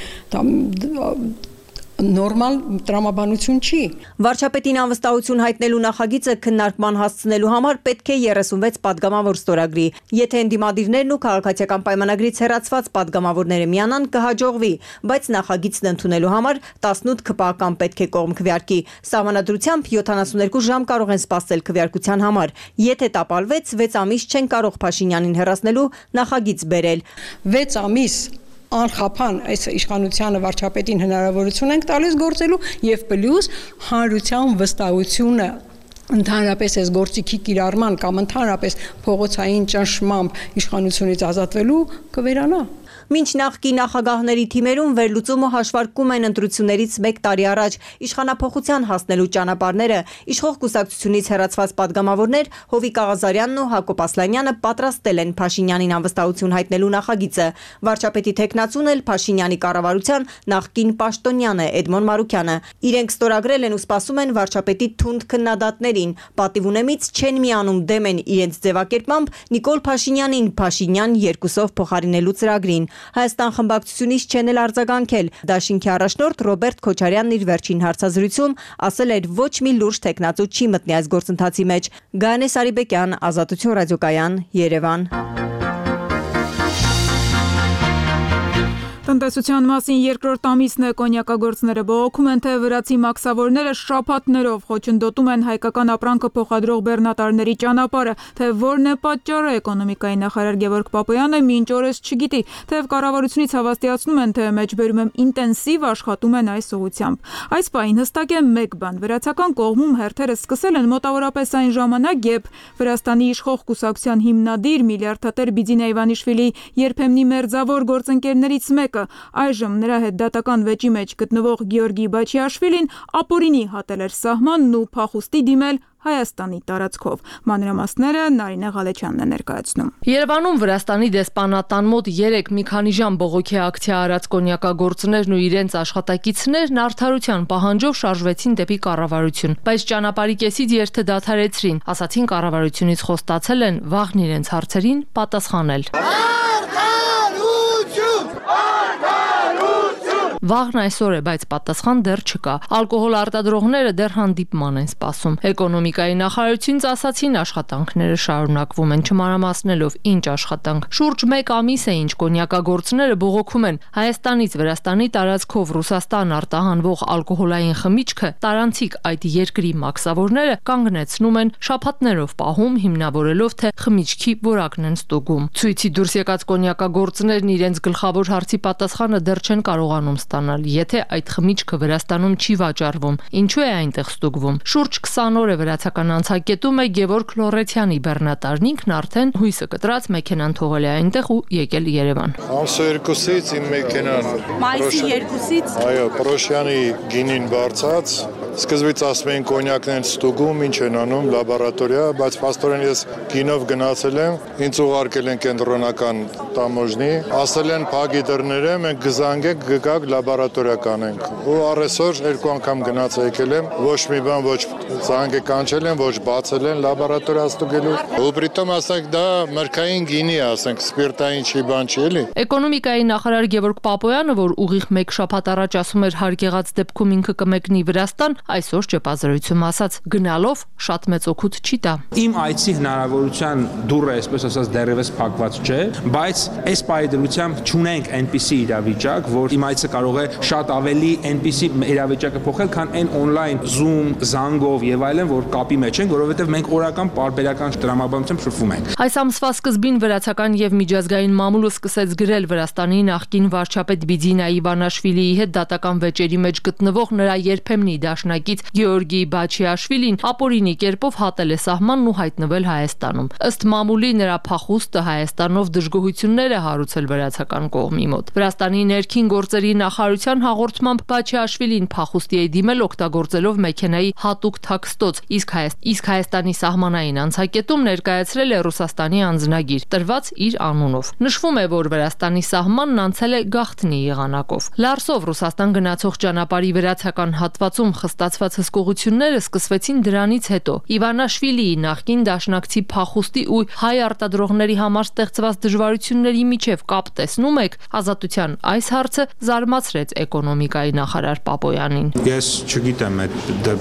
նորմալ տրամաբանություն չի։ Վարչապետին անվստահություն հայտնելու նախագիծը քննարկման հասցնելու համար պետք է երեսունվեց падգամավոր ստորագրի։ Եթե ընդդիմադիրներն ու քաղաքացիական պայմանագրից հեռացված падգամավորները միանան, կհաջողվի, բայց նախագիծն ընդունելու համար տասնութ քպական պետք է կողմ քվեարկի։ Սահմանադրությամբ յոթանասուններկու ժամ կարող են սպասել քվեարկության համար։ Եթե տապալվեց, վեց ամիս չեն կարող Փաշինյանին հեռացնելու նախագիծ բերել։ վեց ամիս անխափան այս իշխանությանը վարչապետին հնարավորություն ենք տալիս գործելու եւ պլյուս հանրության վստահությունը ընդհանրապես այս գործիքի կիրառման կամ ընդհանրապես փողոցային ճնշմամբ իշխանությունից ազատվելու կվերանա։ Մինչ նախկի նախագահների թիմերում վերլուծումը հաշվարկում են ընտրություններից մեկ տարի առաջ իշխանափոխության հասնելու ճանապարհները, իշխող կուսակցությունից հեռացված падգամավորներ Հովիկ Աղազարյանն ու Հակոբ Ասլանյանը պատրաստել են Փաշինյանին անվստահություն հայտնելու նախագիծը։ Վարչապետի տեխնացուն էլ Փաշինյանի կառավարության նախկին պաշտոնյան է Էդմոն Մարուկյանը։ Իրենք ստորագրել են ու սպասում են վարչապետի թունդ քննադատներին։ Պատիվ ունեմից չեն միանում, դեմ են իրենց ձևակերպմամբ Նիկոլ Փաշինյանին Փաշինյան երկուսով փոխարինելու ծրագրին։ Հայաստան խմբակցությունից չեն էլ արձագանքել։ Դաշինքի առաջնորդ Ռոբերտ Քոչարյանն իր վերջին հարցազրույցում ասել էր ոչ մի լուրջ տեխնացու չի մտնի այս գործընթացի մեջ։ Գայանե Սարիբեկյան, Ազատություն ռադիոկայան, Երևան։ Տնտեսության մասին երկրորդ ամիսն է կոնյակագործները բողոքում են, թե վրացի մաքսավորները շաբաթներով խոչընդոտում են հայկական ապրանքը փոխադրող բեռնատարների ճանապարհը, թե որն է պատճառը, էկոնոմիկայի նախարար Գևորգ Պապոյանը մինչ օրս չգիտի, թեև կառավարությունից հավաստիացնում են, թե մեջբերում են ինտենսիվ աշխատում են այս ուղղությամբ։ Այս պահին հստակ է մեկ բան՝ վրացական կողմում հերթերը սկսել են մոտավորապես այն ժամանակ, երբ Վրաստանի իշխող կուսակցության հիմնադիր միլիարդատեր Բիձինա Իվանիշվիլի երբեմնի մերձավոր գործընկերներից մեկը, այժմ նրա հետ դատական վեճի մեջ գտնվող Գեորգի Բաչիաշվիլին ապօրինի հատել էր սահմանն ու փախուստի դիմել Հայաստանի տարածքով։ Մանրամասները Նարինե Ղալեչյանն է ներկայացնում։ Երևանում Վրաստանի դեսպանատան մոտ երեք մի քանի ժամ բողոքի ակցիա արած կոնյակագործներն ու իրենց աշխատակիցներն արդարության պահանջով շարժվեցին դեպի կառավարություն, բայց ճանապարհի կեսից երթը դադարեցրին, ասացին կառավարությունից խոստացել են վաղն իրենց հարցերին պատասխանել։ Վաղն այսօր է, բայց պատասխան դեռ չկա։ Ալկոհոլ արտադրողները դեռ հանդիպման են սպասում։ Էկոնոմիկայի նախարարությունից ասացին աշխատանքները շարունակվում են, չմանրամասնելով ինչ աշխատանք։ Շուրջ մեկ ամիս է, ինչ կոնյակագործները բողոքում են Հայաստանից Վրաստանի տարածքով Ռուսաստան արտահանվող ալկոհոլային խմիչքը տարանցիկ այդ երկրի մաքսավորները կանգնեցնում են, շաբաթներով պահում, հիմնավորելով թե խմիչքի որակն են ստուգում։ Ցույցի դուրս եկած կոնյակագործներն իրենց գլխավոր հարցի պատասխանը դեռ չեն կարողանում ստանալ, եթե այդ խմիչքը Վրաստանում չի վաճառվում, ինչու է այնտեղ ստուգվում։ Շուրջ քսան օր է վրացական անցակետում է Գևորգ Լորեցյանի բեռնատարն ինքն արդեն հույսը կտրած մեքենան թողել է այնտեղ ու եկել Երևան։ Ամսո երկուսից իմ մեքենան Մայիսի երկուսից այո, Պրոշյանի գինին բարձած, սկզբից ասում էին կոնյակն են ստուգում, ինչ են անում, լաբորատորիա, բայց փաստորեն ես գինով գնացել եմ, ինձ ուղարկել են կենտրոնական տամոժնի, ասել են փակի դռները, մենք գզանգենք, գգակ լաբորատորիա կանենք։ Ու առեսօր երկու անգամ գնաց եկել եմ, ոչ մի բան, ոչ զանգը կանչել են, ոչ բացել են լաբորատորիա ստուգելու։ Ու պրիտոմ ասենք դա մրգային գինի, ասենք սպիրտային չի բան չի էլի։ Էկոնոմիկայի նախարար Գևորգ Պապոյանը, որ ուղիղ մեկ շաբաթ առաջ ասում էր հարկ եղած դեպքում ինքը կմեկնի Վրաստան, այսօր ճեպազրույցում ասաց գնալով շատ մեծ օգուտ չի տա։ Իմ այցի հնարավորության դուռը, այսպես ասած, դեռևս փակված չէ, բայց այս պայդրությամբ չունենք այնպիսի իրավիճակ, որ իմ այցը կարող է շատ ավելի այնպիսի իրավիճակը փոխել, քան այն on-line Zoom, զանգով եւ այլն, որ կապի մեջ են, որովհետեւ մենք օրական պարբերական տրամաբանությամբ շփվում ենք։ Այս ամսվա սկզբին վրացական եւ միջազգային մամուլը սկսեց գրել Վրաստանի նախկին վարչապետ Բիձինա Իվանաշվիլիի հետ դատական վեճերի մեջ գտնվող նրա երբեմնի դաշնակից Գեորգի Բաչիաշվիլին ապօրինի կերպով հատել է սահմանն ու հայտնվել Հայաստանում։ Ըստ մամուլի նրա փախուստը Հայաստանով դժգոհություններ է հարուցել վրացական կողմի մոտ։ Վրաստանի ներքին գործերի նախարարության հաղորդմամբ Բաչիաշվիլին փախուստի է դիմել օգտագործելով մեքենայի հատուկ թակ փակստոց, իսկ իսկ Հայաստանի սահմանային անցակետում ներկայացրել է Ռուսաստանի անձնագիր, տրված իր անունով։ Նշվում է, որ Վրաստանի սահմանն անցել է գաղտնի եղանակով։ Լարսով Ռուսաստան գնացող ճանապարհի վրացական հատվածում խստացված հսկողությունները սկսվեցին դրանից հետո։ Իվանաշվիլիի նախկին դաշնակցի փախուստի ու հայ արտադրողների համար ստեղծված դժվարությունների միջև կապ տեսնում եք, Ազատության այս հարցը զարմացրեց էկոնոմիկայի նախարար Պապոյանին։ Ես չգիտեմ այդ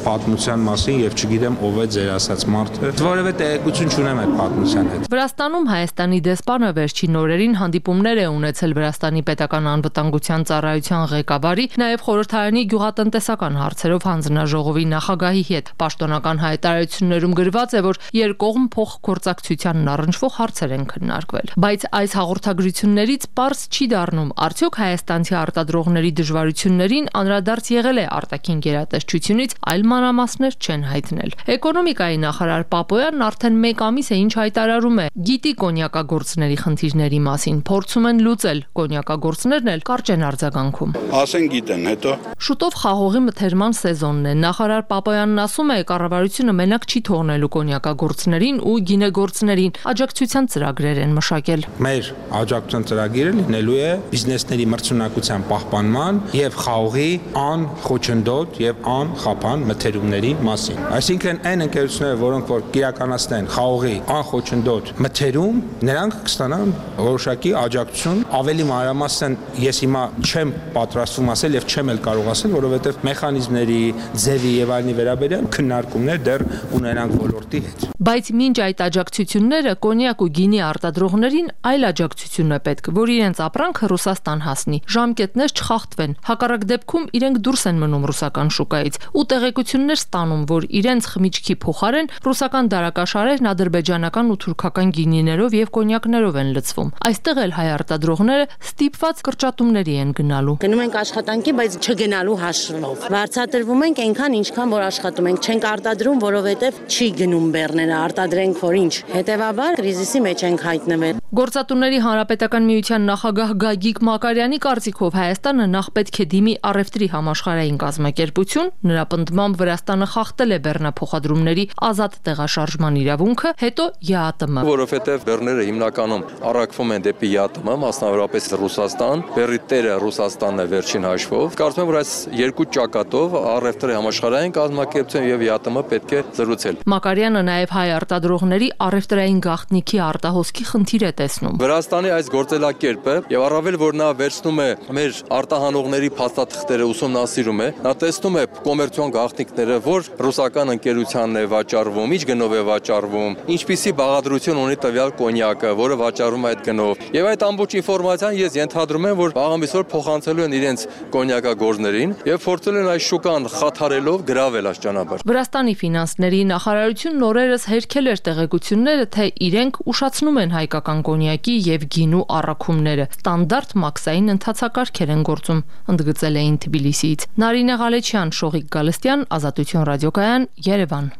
պատմության մասին եւ չգիտեմ ով է ձեր ասած մարդը, որևէ տեղեկություն չունեմ այդ պատմության հետ։ Վրաստանում Հայաստանի դեսպանը վերջին օրերին հանդիպումներ է ունեցել Վրաստանի պետական անվտանգության ծառայության ղեկավարի, նաև խորհրդարանի գյուղատնտեսական հարցերով հանձնաժողովի նախագահի հետ։ Պաշտոնական հայտարարություններում գրված է, որ երկկողմ փոխգործակցությանն առնչվող հարցեր են քննարկվել։ Բայց այս հաղորդագրություններից պարզ չի դառնում, արդյոք հայաստանցի արտադրողների դժվարություններին անդրադարձ եղել է արտաքին գերատեսչությունից, այլ մանրամասներ չեն հայտնել։ Էկոնոմիկայի նախարար Պապոյանն արդեն մեկ ամիս է ինչ հայտարարում է, գիտի կոնյակագործների խնդիրների մասին, փորձում են լուծել, կոնյակագործներն էլ կարճ են արձագանքում։ Ասեն գիտեն, հետո Շուտով խաղողի մթերման սեզոնն է։ Նախարար Պապոյանն ասում է, կառավարությունը մենակ չի թողնելու կոնյակագործներին ու գինեգործներին, աջակցության ծրագրեր են մշակել։ Մեր աջակցության ծրագիրը լինելու է բիզնեսների մրցունակության պահպանման եւ խաղողի անխոչնդոտ եւ անխափան մթերումների մասին։ Այսինքն այն ընկերությունները, որոնք որ կիրականացնեն խաղողի անխոչնդոտ մթերում, նրանք կստանան որոշակի աջակցություն, ավելի մանրամասն ես հիմա չեմ պատրաստվում ասել եւ չեմ էլ կարող ասել, որովհետեւ մեխանիզմների, ձևի եւ այլնի վերաբերյալ քննարկումներ դեռ ունենանք ոլորտի հետ։ Բայց մինչ այդ աջակցությունները կոնյակ ու գինի արտադրողներին այլ աջակցություն է պետք, որ իրենց ապրանքը Ռուսաստան հասնի, ժամկետներ չխախտվեն, հակառակ դեպքում իրենք դուրս են մնում ռուսական շուկայից ու տեղեկություններ ստանում, որ իրենց խմիչքի փոխարեն ռուսական դարակաշարերն ադրբեջանական ու թուրքական գինիներով եւ կոնյակներով են լցվում։ Այստեղ էլ հայ արտադրողները ստիպված կրճատումների են գնալու։ Գնում ենք աշխատանքի, բայց չգնալու հաշվով։ Վարձատրվում ենք այնքան, ինչքան որ աշխատում ենք, չենք արտադրում, որովհետեւ չի գնում բեռները, արտադրենք որ ինչ։ Հետևաբար կրիզիսի մեջ ենք հայտնվել։ Գործատուների հանրապետական միության նախագահ Գագիկ Մակարյանի կարծիքով Հայաստանը նախ պետք է դիմի առևտրի համաշխարհային կազմակերպություն, նրա պնդմամբ Վրաստանը խախտել է բեռնափոխադրումների ազատ տեղաշարժման իրավունքը, հետո ԵԱՏՄ։ Որովհետև բեռները հիմնականում առաքվում են դեպի ԵԱՏՄ, մասնավորապես Ռուսաստան, բեռի տերը Ռուսաստանն է վերջին հաշվով։ Կարծում եմ, որ այս երկու ճակատով առևտրի համաշխարհային կազմակերպություն եւ ԵԱՏՄ պետք է զրուցել։ Մակարյանը նաև հայ արտադրողների առևտրային գաղտնիքի արտահոսքի խնդիր է տեսնում։ Վրաստանի այս գործելակերպը եւ առավել որ նա վերցնում է մեր արտահանողների փաստաթղթերը ուսումնասիրում է, նա տեսնում է կոմերցիոն գաղտնիքները, որ ռուսական ընկերությանն է վաճառվում, ինչ գնով է վաճառվում, ինչպիսի բաղադրություն ունի տվյալ կոնյակը, որը վաճառվում է այդ գնով։ Եվ այդ ամբողջ ինֆորմացիան ես ենթադրում եմ, որ աղամիսօր փոխանցելու են իրենց կոնյակագործներին եւ փորձել են այս շուկան խաթարելով գրավել այս ճանապարհ։ Վրաստանի ֆինանսների նախարարությունն օրերս հերքել էր տեղեկությունները, թե իրենք ուշացնում են հայկական կոնյակի եւ գինու առաքումները։ Ստանդարտ մաքսային ընթացակարգեր են գործում, ընդգծել էին Թբիլիսիից։ Նարինե Ղալեչյան, Շողիկ Գալստյան, Ազատություն ռադիոկայան, Երևան։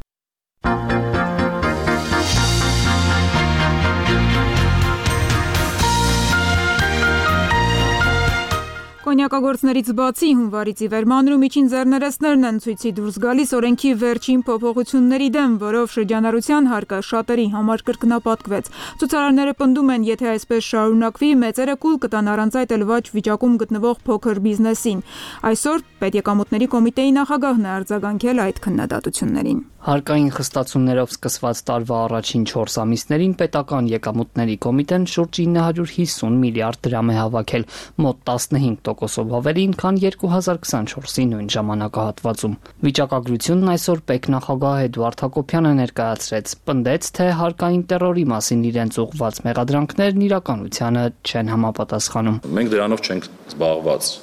Կոնյակագործներից բացի հունվարից ի վեր մանր ու միջին ձեռներեցներն են ցույցի դուրս գալիս օրենքի վերջին փոփոխությունների դեմ, որով շրջանառության հարկը շատերի համար կրկնապատկվեց։ Ցուցարարները պնդում են, եթե այսպես շարունակվի, մեծերը կուլ կտան առանց այդ էլ վաճ վիճակում գտնվող փոքր բիզնեսին։ Այսօր Պետեկամուտների կոմիտեի նախագահն է արձագանքել այդ քննադատություններին։ Հարկային խստացումներով սկսված տարվա առաջին չորս ամիսներին պետական եկամուտների կոմիտեն շուրջ ինը հարյուր հիսուն միլիարդ դրամ է հավաքել, մոտ տասնհինգ տոկոսով ավելին, քան երկու հազար քսանչորսի նույն ժամանակահատվածում։ Վիճակագրությունն այսօր պետնախագահ Էդուարդ Հակոբյանը ներկայացրեց, պնդեց, թե հարկային տերորի մասին իրենց ուղղված մեղադրանքներն իրականությանը չեն համապատասխանում։ Մենք դրանով չենք զբաղված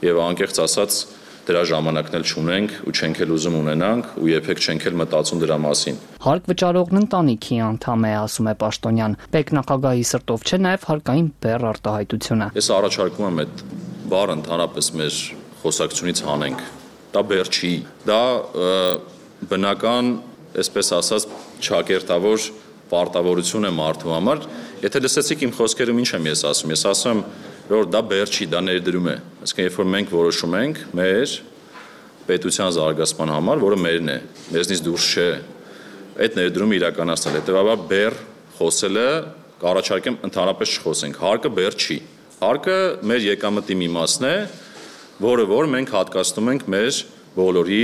եւ անկեղծ ասած դրա ժամանակն էլ չունենք ու չենք էլ ուզում ունենանք ու երբեք չենք էլ մտածում դրա մասին։ Հարկ վճարողն ընտանիքի անդամ է, ասում է Պաշտոնյան։ Պետնախագահի սրտով չէ նաև հարկային բեռ արտահայտությունը։ Ես առաջարկում եմ այդ բառը ընդհանրապես մեր խոսակցությունից հանենք։ Դա բեռ չի։ Դա բնական, այսպես ասած, ճակերտավոր պարտավորություն է մարդու համար։ Եթե լսեցիք իմ խոսքերում ինչ եմ ես ասում, ես ասում եմ որ դա բեռ չի, դա ներդրում է։ Այսինքն երբ որ մենք որոշում ենք մեր պետության զարգացման համար, որը մերն է, մեզնից դուրս չէ, այդ ներդրումը իրականացնել։ Հետևաբար բեռ խոսելը կառաջարկեմ ընդհանրապես չխոսենք։ Հարկը բեռ չի։ Հարկը մեր եկամտի մի մասն է, որը որ մենք հատկացնում ենք մեր բոլորի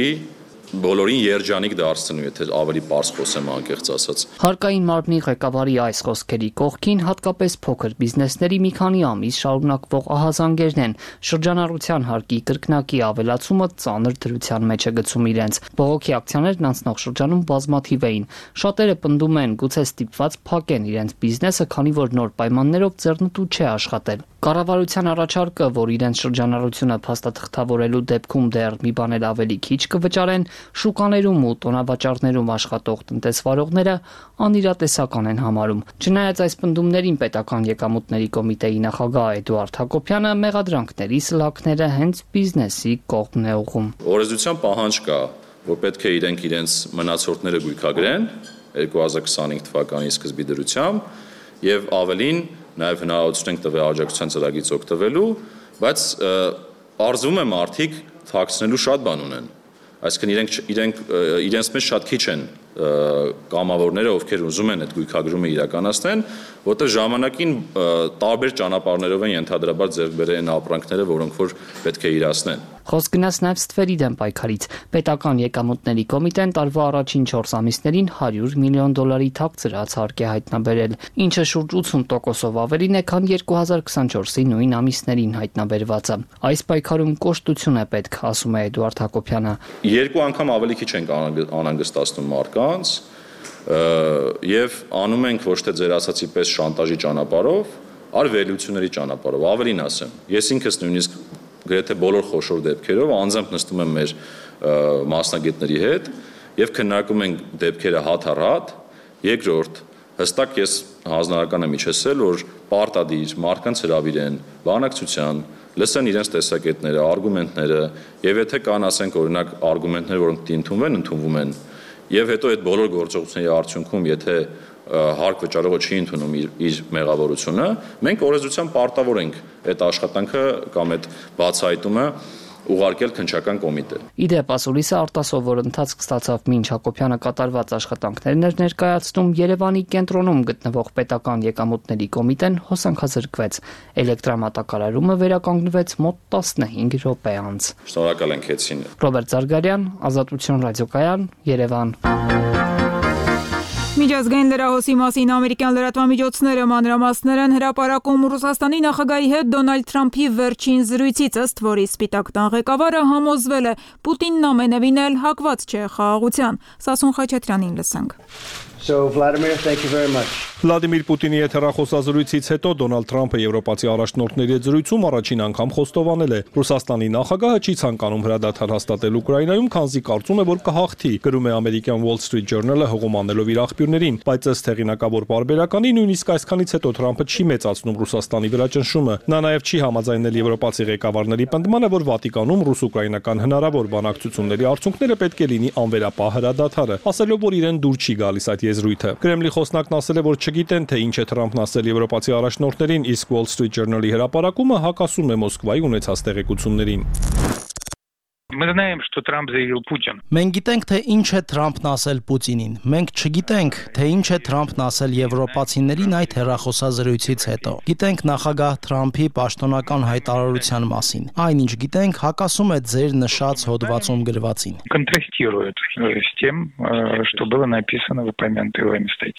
բոլորին երջանիկ դարձնելու, եթե ավելի պարզ խոսեմ անկեղծ ասած։ Հարկային մարմնի ղեկավարի այս խոսքերի կողքին հատկապես փոքր բիզնեսների մի քանի ամիս շարունակվող ահազանգերն են։ Շրջանառության հարկի կրկնակի ավելացումը ծանր դրության մեջ է գցում իրենց։ Բողոքի ակցիաներն անցնող շրջանում բազմաթիվ էին։ Շատերը պնդում են, գուցե ստիպված փակեն իրենց բիզնեսը, քանի որ նոր պայմաններով ձեռնտու չէ աշխատել։ Կառավարության առաջարկը, որ իրենց շրջանառությունը փաստաթղթավորելու դեպքում դեռ մի բան էլ ավելի քիչ կվճարեն, շուկաներում ու տոնավաճառներում աշխատող տնտեսվարողները անիրատեսական են համարում։ Չնայած այս պնդումներին պետական եկամուտների կոմիտեի նախագահ Էդուարդ Հակոբյանը մեղադրանքների սլաքները հենց բիզնեսի կողմն է ուղղում։ Օրենսդրության պահանջ կա, որ պետք է իրենք իրենց մնացորդները գույքագրեն երկու հազար քսանհինգ թվականի սկզբի դրությամբ եւ ավելին նաև հնարավորություն ենք տվել աջակցության ծրագրից օգտվելու, բայց արզվում է մարդիկ թաքցնելու շատ բան ունեն։ Այսինքն իրենք իրենք իրենց մեջ շատ քիչ են կամավորները, ովքեր ուզում են այդ գույքագրումը իրականացնեն, որտեղ ժամանակին տարբեր ճանապարհներով են ենթադրաբար ձեռք բերել են ապրանքները, որոնք որ պետք է իրացնեն։ Խոսք գնաց նաև ստվերի դեմ պայքարից։ Պետական եկամուտների կոմիտեն տարվա առաջին չորս ամիսներին հարյուր միլիոն դոլարի թաքցրած հարկ է հայտնաբերել, ինչը շուրջ ութսուն տոկոսով ավելին է, քան երկու հազար քսանչորսի նույն ամիսներին հայտնաբերվածը։ Այս պայքարում կոշտություն է պետք, ասում է Էդուարդ Հակոբյանը։ Երկու անգամ ավելի քիչ ենք անհանգստացնում մարդկանց եւ անում ենք ոչ թե ձեր ասացի պես շանտաժի ճանապարհով, այլ վերլուծությունների ճանապարհով։ Ավելին ասեմ, ես ինքս նույնիսկ գրեթե բոլոր խոշոր դեպքերով անձամբ նստում եմ մեր մասնագետների հետ եւ քննարկում ենք դեպքերը հատ առ հատ։ Երկրորդ, հստակ ես հանձնարարական եմ իջեցել, որ պարտադիր մարդկանց հրավիրեն բանակցության, լսեն իրենց տեսակետները, արգումենտները եւ եթե կան, ասենք օրինակ արգումենտներ, որոնք դիմթունվեն, ընդունվում են եւ հետո այդ բոլոր գործողությունների արդյունքում, եթե հարկ վճարողը չի ընդունում իր, իր մեղավորությունը, մենք օրենսդրությամբ պարտավոր ենք այդ աշխատանքը կամ այդ բացահայտումը ուղարկել քննչական կոմիտե։ Իդեպ ասուլիսը արտասովոր ընթացք ստացավ մինչ Հակոբյանը կատարված աշխատանքներն էր ներկայացնում, Երևանի կենտրոնում գտնվող պետական եկամուտների կոմիտեն հոսանքազրկվեց։ Էլեկտրամատակարարումը վերականգնվեց մոտ տասնհինգ րոպե անց։ Շնորհակալ ենք Էցին։ Ռոբերտ Զարգարյան, Ազատություն ռադիոկայան, Երևան։ Միջազգային լրահոսի մասին ամերիկյան լրատվամիջոցները մանրամասներ են հրապարակում Ռուսաստանի նախագահի հետ Դոնալդ Թրամփի վերջին զրույցից, ըստ որի Սպիտակ տան ղեկավարը համոզվել է Պուտինն ամենևին էլ հակված չէ խաղաղության։ Սասուն Խաչատրյանին լսենք։ So Vladimir, thank you very much. Վլադիմիր Պուտինի հետ հեռախոսազրույցից հետո Դոնալդ Թրամփը եվրոպացի առաջնորդների հետ զրույցում առաջին անգամ խոստովանել է. Ռուսաստանի նախագահը չի ցանկանում հրադադար հաստատել Ուկրաինայում, քանզի կարծում է, որ կհաղթի, գրում է ամերիկյան Wall Street Journal-ը հողում անելով իր աղբյուրներին, բայց ըստ հեղինակավոր պարբերականի նույնիսկ այսքանից հետո Թրամփը չի մեծացնում Ռուսաստանի վրա ճնշումը։ Նա նաև չի համաձայնել եվրոպացի ղեկավարների պնդմանը, որ Վատիկանում ռուս-ուկրաինական հնարավոր բանակցությունների արդյունքները պետք է լինի անվերապահ հրադադարը, ասելով, որ իրեն դուր չի գալիս այդ եզրույթը։ Կրեմլի խոսնակն ասել է, որ չգիտեն, թե ինչ է Թրամփն ասել եվրոպացի առաջնորդներին, իսկ Wall Street Journal-ի հրապարակումը հակասում է Մոսկվայի ունեցած տեղեկություններին։ Մենք գիտենք, թե ինչ է Թրամփն ասել Պուտինին։ Մենք չգիտենք, թե ինչ է Թրամփն ասել եվրոպացիներին այդ հեռախոսազրույցից հետո։ Գիտենք նախագահ Թրամփի պաշտոնական հայտարարության մասին։ Այնինչ գիտենք, հակասում է ձեր նշած հոդվածում գրվածին։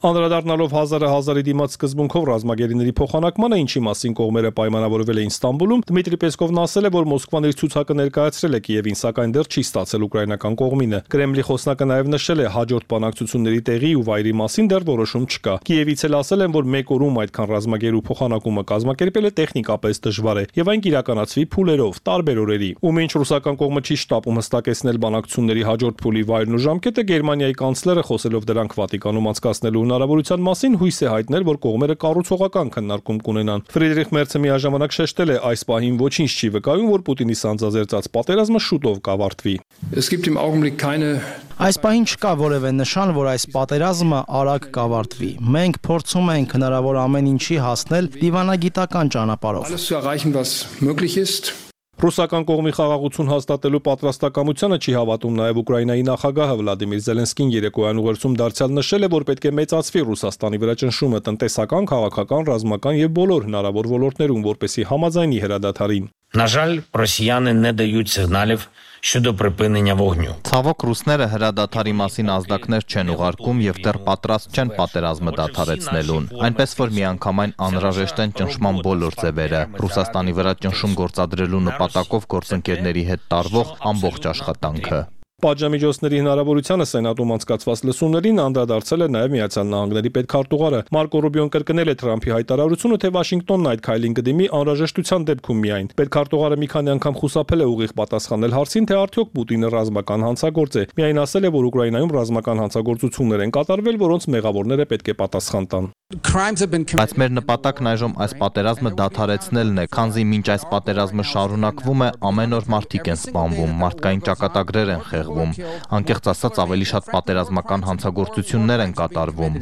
Անդրադառնալով հազարը հազարի դիմաց սկզբունքով ռազմագերիների փոխանակմանը, ինչի մասին կողմերը պայմանավորվել էին Ստամբուլում, Դմիտրի Պեսկովն ասել է, որ Մոսկվան իր ցուցակը ներկայացրել է Կիևին, սակայն դեռ չի ստացել ուկրաինական կողմինը։ Կրեմլի խոսնակը նաև նշել է, հաջորդ բանակցությունների տեղի ու վայրի մասին դեռ որոշում չկա։ Կիևից էլ ասել են, որ մեկ օրում այդքան ռազմագերու փոխանակումը կազմակերպելը տեխնիկապես դժվար է եւ այն կիրականացվի փուլերով, տարբեր օրերի։ Ու մինչ ռուսական կողմը չի շտապում հստակեցնել բանակցությունների հաջորդ փուլի վայրն ու ժամկետը, Գերմանիայի կանցլերը խոսելով դրանք Վատիկանում անցկացնելու հնարավորության մասին հույս է հայտնել, որ կողմերը կառուցողական քննարկում կունենան։ Ֆրիդրիխ Մերցը միաժամանակ շեշտել է, այս պահին ոչինչ չի վկայում, որ Պուտինի սանձազերծած պատերազմը շուտով կավարտվի։ Այս պահին չկա որևէ նշան, որ այս պատերազմը արագ կավարտվի։ Մենք փորձում ենք հնարավոր ամեն ինչի հասնել դիվանագիտական ճանապարհով։ Ռուսական կողմի խաղաղություն հաստատելու պատրաստակամությանը չի հավատում նաև Ուկրաինայի նախագահը Վլադիմիր Զելենսկին երեկոյան ուղերձում դարձյալ նշել է, որ պետք է մեծացվի Ռուսաստանի վրա ճնշումը տնտեսական, քաղաքական, ռազմական եւ բոլոր հնարավոր ոլորտներում, որպեսզի համաձայնի հրադադարին։ На жаль, росіяни не дають сигналів щодо припинення вогню. Ցավոք ռուսները հրադադարի մասին ազդակներ չեն ուղարկում եւ դեռ պատրաստ չեն պատերազմը դադարեցնելուն։ Այնպես որ միանգամայն անհրաժեշտ են ճնշման բոլոր ձևերը։ Ռուսաստանի վրա ճնշում գործադրելու նպատակով գործընկերների հետ տարվող ամբողջ աշխատանքը։ Պատժամիջոցների հնարավորությանը Սենատում անցկացված լսումներին անդրադարձել է նաև Միացյալ Նահանգների պետքարտուղարը։ Մարկո Ռուբիոն կրկնել է Թրամփի հայտարարությունը, թե Վաշինգտոնն այդ քայլին կդիմի անհրաժեշտության դեպքում միայն։ Պետքարտուղարը մի քանի անգամ խուսափել է ուղիղ պատասխանել հարցին, թե արդյոք Պուտինը ռազմական հանցագործ է։ Միայն ասել է, որ Ուկրաինայում ռազմական հանցագործություններ են կատարվել, որոնց մեղավորները պետք է պատասխան տան։ Բայց մեր նպատակն այժմ այս պատերազմը դադարեցնելն է, քանզի մինչ այս պատերազմը շարունակվում է, ամեն օր մարդիկ են սպանվում, մարդկային ճակատագրեր են խեղվում, անկեղծ ասած ավելի շատ պատերազմական հանցագործություններ են կատարվում։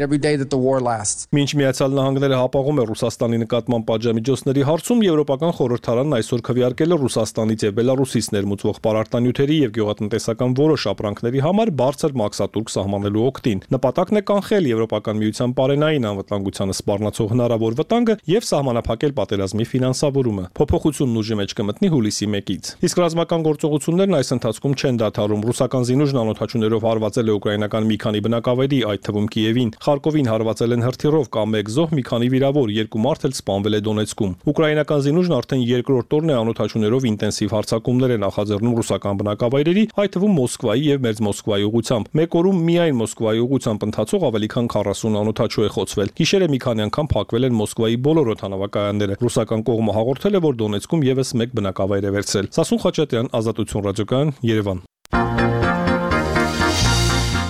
Մինչ Միացյալ Նահանգները հապաղում է Ռուսաստանի նկատմամբ պատժամիջոցների հարցում, Եվրոպական խորհրդարանն այսօր քվեարկել է Ռուսաստանից եւ Բելարուսից ներմուծվող պարարտանյութերի եւ գյուղատնտեսական որոշ ապրանքների համար բարձր մաքսատուրք սահմանելու օգտին։ Նպատակն է կանխել Եվրոպական միության պարենային անվտանգությանը սպառնացող հնարավոր վտանգը եւ սահմանափակել պատերազմի ֆինանսավորումը։ Փոփոխությունն ուժի մեջ կմտնի հուլիսի մեկից։ Իսկ ռազմական գործողություններն այս ընթացքում չեն դադարում։ Ռուսական զինուժն անօդաչուներով հարվածել է ուկրաինական մի քանի բնակավայրի, այդ թվում Կիևին։ Խարկովին հարվածել են հրթիռով կամ մեկ զոհ, մի քանի վիրավոր, երկու մարդ էլ սպանվել է Դոնեցկում։ Ուկրաինական զինուժն արդեն երկրորդ օրն է անօդաչուներով ինտենսիվ հարձակումներ է նախաձեռնում ռուսական բնակավայրերի, այդ թվում Մոսկվայի եւ Մերձ Մոսկվայի ուղղությամբ։ Մեկ օրում միայն Մոսկվայի ուղղությամբ ընթացող ավելի քան քառասուն անօդաչու է խոցվել։ Գիշերը մի քանի անգամ փակվել են Մոսկվայի բոլոր օդանավակայանները։ Ռուսական կողմը հաղորդել է, որ Դոնեցկում եւս մեկ բնակավայր է վերցրել։ Սասուն Խաչատրյան, Ազատություն ռադիոկայան, Երևան։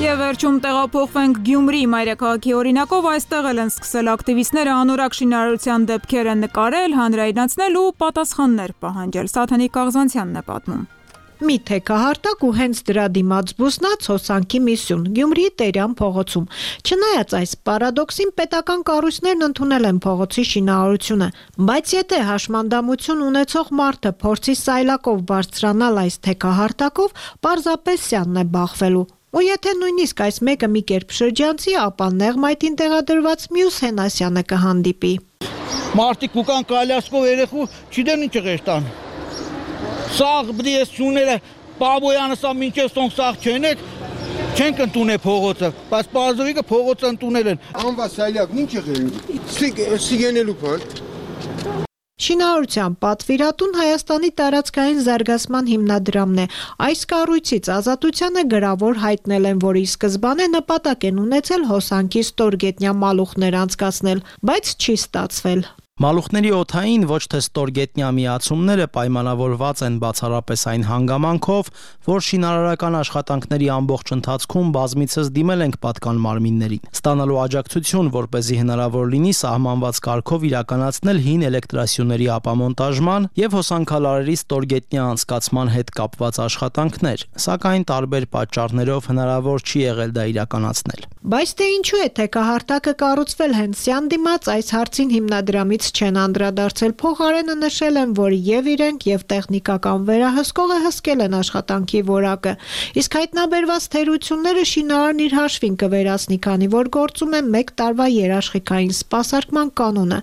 Եվ վերջում տեղափոխվենք Գյումրի մայրաքաղաքի օրինակով, այստեղ էլ են սկսել ակտիվիստները անորակ շինարարության դեպքերը նկարել, հանրայնացնել ու պատասխաններ պահանջել։ Սաթանիկ Աղզանցյանն է պատմում։ Մի թեքահարտակ ու հենց դրա դիմաց բուսնած հոսանքի մի սյուն Գյումրիի Տերյան փողոցում։ Չնայած այս պարադոքսին, պետական կառույցներն ընդունել են փողոցի շինարարությունը, բայց եթե հաշմանդամություն ունեցող մարդը փորձի սայլակով բարձրանալ այս թեքահարտակով, պարզապես սյանն է բախվելու։ Ու եթե նույնիսկ այս մեկը մի կերպ շրջանցի, ապա նեղմայթին տեղադրված մյուս Հենասյանը կհանդիպի։ Մարդիկ կուկան կալյասկով երեխու չիդեն ինչ ղեշտան։ Սաղ բդի ես սուները պաբոյանը սա մինչև սոնք սաղ չենեք, չենք ընդունե փողոցը, բայց պարզովիկը փողոցը ընդունել են։ Անվա սայլյակն ինչ եղել, սիգենելու պան։ Շինարարության պատվիրատուն Հայաստանի տարածքային զարգացման հիմնադրամն է։ Այս կառույցից Ազատությանը գրավոր հայտնել են, որ ի սկզբանե նպատակ են ունեցել հոսանքի ստորգետնյա մալուխներ անցկացնել, բայց չի ստացվել։ Մալուխների օդային ոչ թե ստորգետնյա միացումները պայմանավորված են բացառապես այն հանգամանքով, որ շինարարական աշխատանքների ամբողջ ընթացքում բազմիցս դիմել ենք պատկան մարմիններին, ստանալու աջակցություն, որպեսզի հնարավոր լինի սահմանված կարգով իրականացնել հին էլեկտրասյուների ապամոնտաժման եւ հոսանքալարերի ստորգետնյա անցկացման հետ կապված աշխատանքներ, սակայն տարբեր պատճառներով հնարավոր չի եղել դա իրականացնել։ Բայց թե ինչու է թեքահարտակը կառուցվել հենց սյան դիմաց, այս հարցին հիմնադրամից չեն անդրադարձել, փոխարենը նշել են, որ եւ իրենք եւ տեխնիկական վերահսկողը հսկել են աշխատանքի որակը, իսկ հայտնաբերված թերությունները շինարարն իր հաշվին կվերացնի, քանի որ գործում է մեկ տարվա երաշխիքային սպասարկման կանոնը։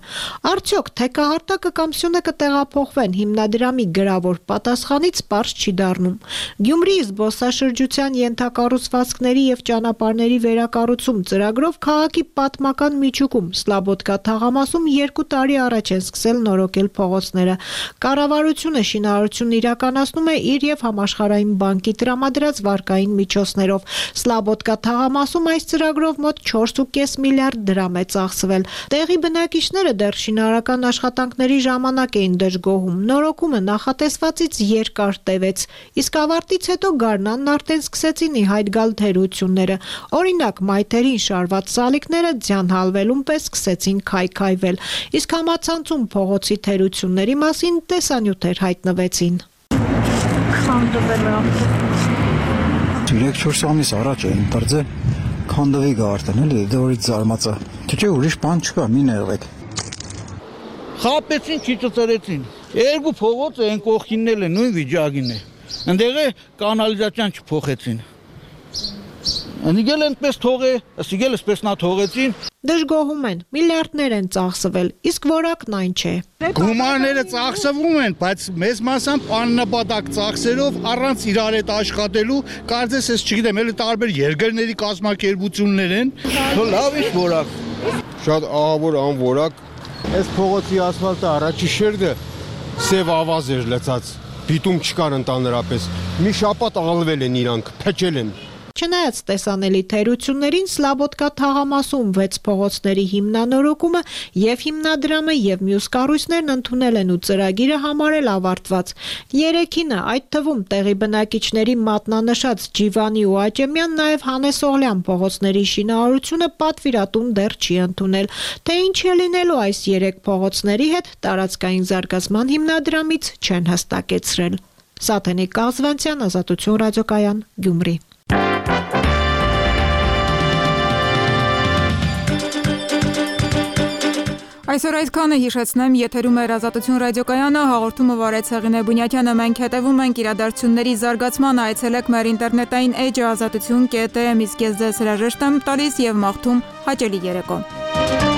Արդյոք թեքահարտակը կամ սյունը կտեղափոխվեն, հիմնադրամի գրավոր պատասխանից պարզ չի դառնում։ Գյումրիի զբոսաշրջության ենթակառուցվածքների եւ ճանապարհների վերակառուցում ծրագրով քաղաքի պատմական միջուկում Սլաբոդկա թաղամասում երկու տարի առաջ են սկսել նորոգել փողոցները։ Կառավարությունը շինարարությունն իրականացնում է իր եւ Համաշխարհային բանկի տրամադրած վարկային միջոցներով։ Սլաբոդկա թաղամասում այս ծրագրով մոտ չորս ու կես միլիարդ դրամ է ծախսվել։ Տեղի բնակիչները դեռ շինարարական աշխատանքների ժամանակ էին դժգոհում։ Նորոգումը նախատեսվածից երկար տևեց, իսկ ավարտից հետո գարնանն արդեն սկսեցին ի հայտ գալ թերությունները։ Օրինակ, մայթերին շարված սալիկները ձյան հալվելուն պես սկսեցին քայքայվել, իսկ համացանցում փողոցի թերությունների մասին տեսանյութեր հայտնվեցին։ երեք-չորս ամիս առաջ էին դարձել քանդվի գարտեն, էլի դորից զարմացա։ Թե չէ ուրիշ բան չկա, մի ներվեք։ Խապեցին, չի ծծրեցին։ Երկու փողոց են կողքինն է նույն վիճակին է։ Ընդեղ է կանալիզացիան չփոխեցին։ Անիգել այնպես թողե, ասիգել այսպես նա թողեցին։ Դժգոհում են, միլիարդներ են ծախսվել, իսկ որակն այն չէ։ Գումարները ծախսվում են, բայց մեծ մասամբ աննպատակ ծախսերով առանց իրար հետ աշխատելու, կարծես ես չգիտեմ, էլի տարբեր երկրների կազմակերպություններ են։ Լավ ինչ որակ։ Շատ ահավոր անորակ։ Այս փողոցի ասֆալտը առաջի շերտը սև ավազ էր լցած։ Դիտում չկար ընդհանրապես։ Մի շաբաթ ալվել են իրանք, փչել են։ Չնայած տեսանելի թերություններին Սլաբոդկա թաղամասում վեց փողոցների հիմնանորոգումը եւ հիմնադրամը եւ մյուս կառույցներն ընդունել են ու ծրագիրը համարել ավարտված։ Երեքինը, այդ թվում տեղի բնակիչների մատնանշած Ջիվանի ու Աճեմյան, նաեւ Հանես Օղլյան փողոցների շինարարությունը պատվիրատուն դեռ չի ընդունել։ Թե ինչ է լինելու այս երեք փողոցների հետ, տարածքային զարգացման հիմնադրամից չեն հստակեցրել։ Սաթենիկ Կազվանցյան, Ազատություն ռադիոկայան, Գյումրի։ Այսօր այդքանը հիշեցնեմ, եթերում է Ազատություն ռադիոկայանը, հաղորդումը վարեց Հեղինե Բունյակյանը, մենք հետևում ենք իրադարձությունների զարգացմանը, այցելեք մեր ինտերնետային էջը ազատություն կետ է, իսկ ես ձեզ հրաժեշտ եմ տալիս եւ մաղթում հաճելի երեկո։